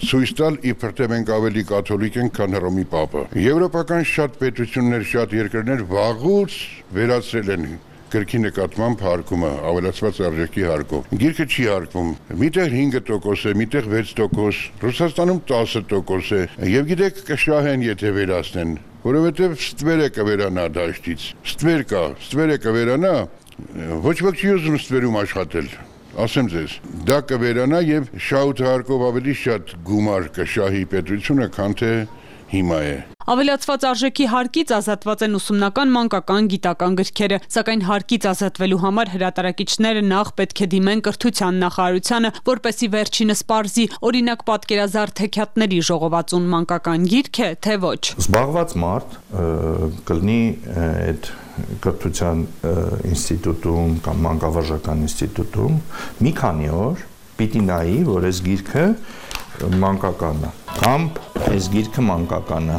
ցույց տալ, իբր թե մենք ավելի կաթոլիկ ենք, քան Հռոմի Պապը։ Եվրոպական շատ պետություններ, շատ երկրներ վաղուց վերացրել են գրքի նկատմամբ հարկումը, ավելացված արժեքի հարկով։ Գիրքը չի հարկվում։ Միտեղ հինգ տոկոս է, միտեղ վեց տոկոս, Ռուսաստանում տասը տոկոս է։ Եվ գիտեք, կշահեն, եթե վերացնեն, որովհետև ստվերը կվերանա դաշտից։ Ստվեր կա, ստվերը կվերանա, ոչ ոք չի ուզում ստվերում աշխատել։ Ասեմ ձեզ, դա կվերանա եւ շահութ հարկով ավելի շատ գումար կշահի պետությունը, քան թե հիմա է։ Ավելացված արժեքի հարկից ազատված են ուսումնական մանկական գիտական գրքերը, սակայն հարկից ազատվելու համար հրատարակիչները նախ պետք է դիմեն կրթության նախարարությանը, որպեսզի վերջինս պարզի, օրինակ պատկերազարդ հեքիաթների ժողովածուն մանկական գիրք է, թե ոչ։ Զբաղված մարդ կլինի այդ կրթության ինստիտուտում կամ մանկավարժական ինստիտուտում մի քանի օր պիտի նայի, որ այս գիրքը մանկական է, կամ այս գիրքը մանկական է։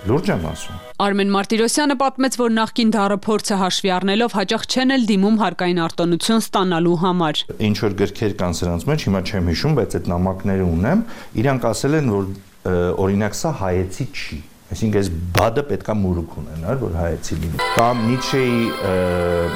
Լուրջ եմ ասում։ Արմեն Մարտիրոսյանը պատմեց, որ նախկին դառը փորձը հաշվի առնելով հաճախ չեն էլ դիմում հարկային արտոնություն ստանալու համար։ Ինչ որ գրքեր կան սրանց մեջ, հիմա չեմ հիշում, բայց այդ նամակները ունեմ, իրանք ասել են, որ օրինակ սա հայեցի չի։ Այսինքն այս բադը պետքա մուրուք ունենար, որ հայեցի լինի։ Կամ Նիցշեի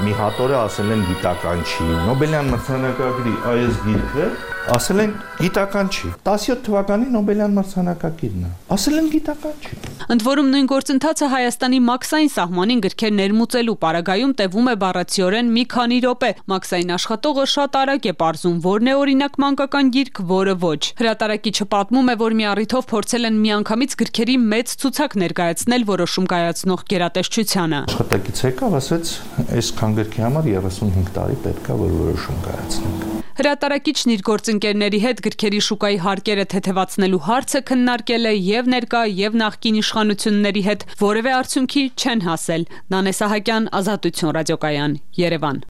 մի հատորը ասել են գիտական չի։ Նոբելյան մրցանակակիրի այս գիրքը ասել են գիտական չի։ տասնյոթ թվականի Նոբելյան մրցանակակիրն է։ Ասել են գիտական չի։ Ընդ որում նույն գործընթացը Հայաստանի մաքսային սահմանին գրքեր ներմուծելու պարագայում տևում է բառացիորեն մի քանի րոպե։ Մաքսային աշխատողը շատ արագ է պարզում, որն է օրինակ մանկական գիրք, որը ոչ։ Հրատարակիչը պատմում է, որ մի առիթով փորձել են միանգամից գրքերի մեծ ցուցակ ներկայացնել որոշում կայացնող գերատեսչությանը։ Աշխատակից եկավ, ասեց, այսքան գրքի համար երեսունհինգ տարի պետք է որ որոշում կայացնենք։ Հրատարակիչն իր գործընկերների հետ գրքերի շուկայի հարկերը թեթևացնելու հարցը քննարկել է եւ ներկա եւ նախկին իշխանությունների հետ, որևէ արդյունքի չեն հասել։ Նանե Սահակյան, Ազատություն ռադիոկայան, Երևան։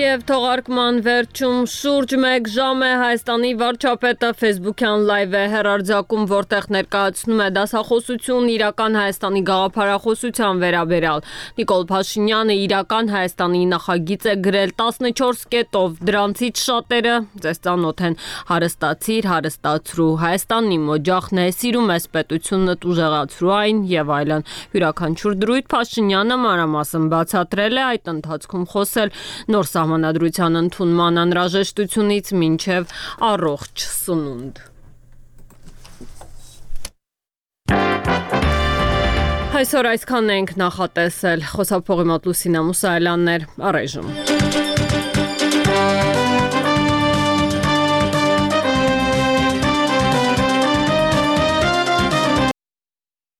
Եվ թողարկման վերջում շուրջ մեկ ժամ է Հայաստանի վարչապետը Facebook-յան լայվ է հեռարձակում, որտեղ ներկայացնում է դասախոսություն իրական Հայաստանի գաղափարախոսության վերաբերյալ։ Նիկոլ Փաշինյանը իրական Հայաստանի նախագիծ է գրել տասնչորս կետով, դրանցից շատերը ձեզ ծանոթ են՝ հարստացիր, հարստացրու, Հայաստանն իմ օջախն է, սիրում ես պետությունդ, ուժեղացրու այն եւ այլն։ Յուրաքանչյուր դրույթ Փաշինյանը մանրամասն բացատրել է, այդ ընթացքում խոսել նոր Սահմանադրության ընդունման անհրաժեշտությունից մինչև առողջ սնունդ։ Այսօր այսքանն ենք նախատեսել։ Խոսափողի մոտ Լուսինա Մուսայելյանն էր, առայժմ։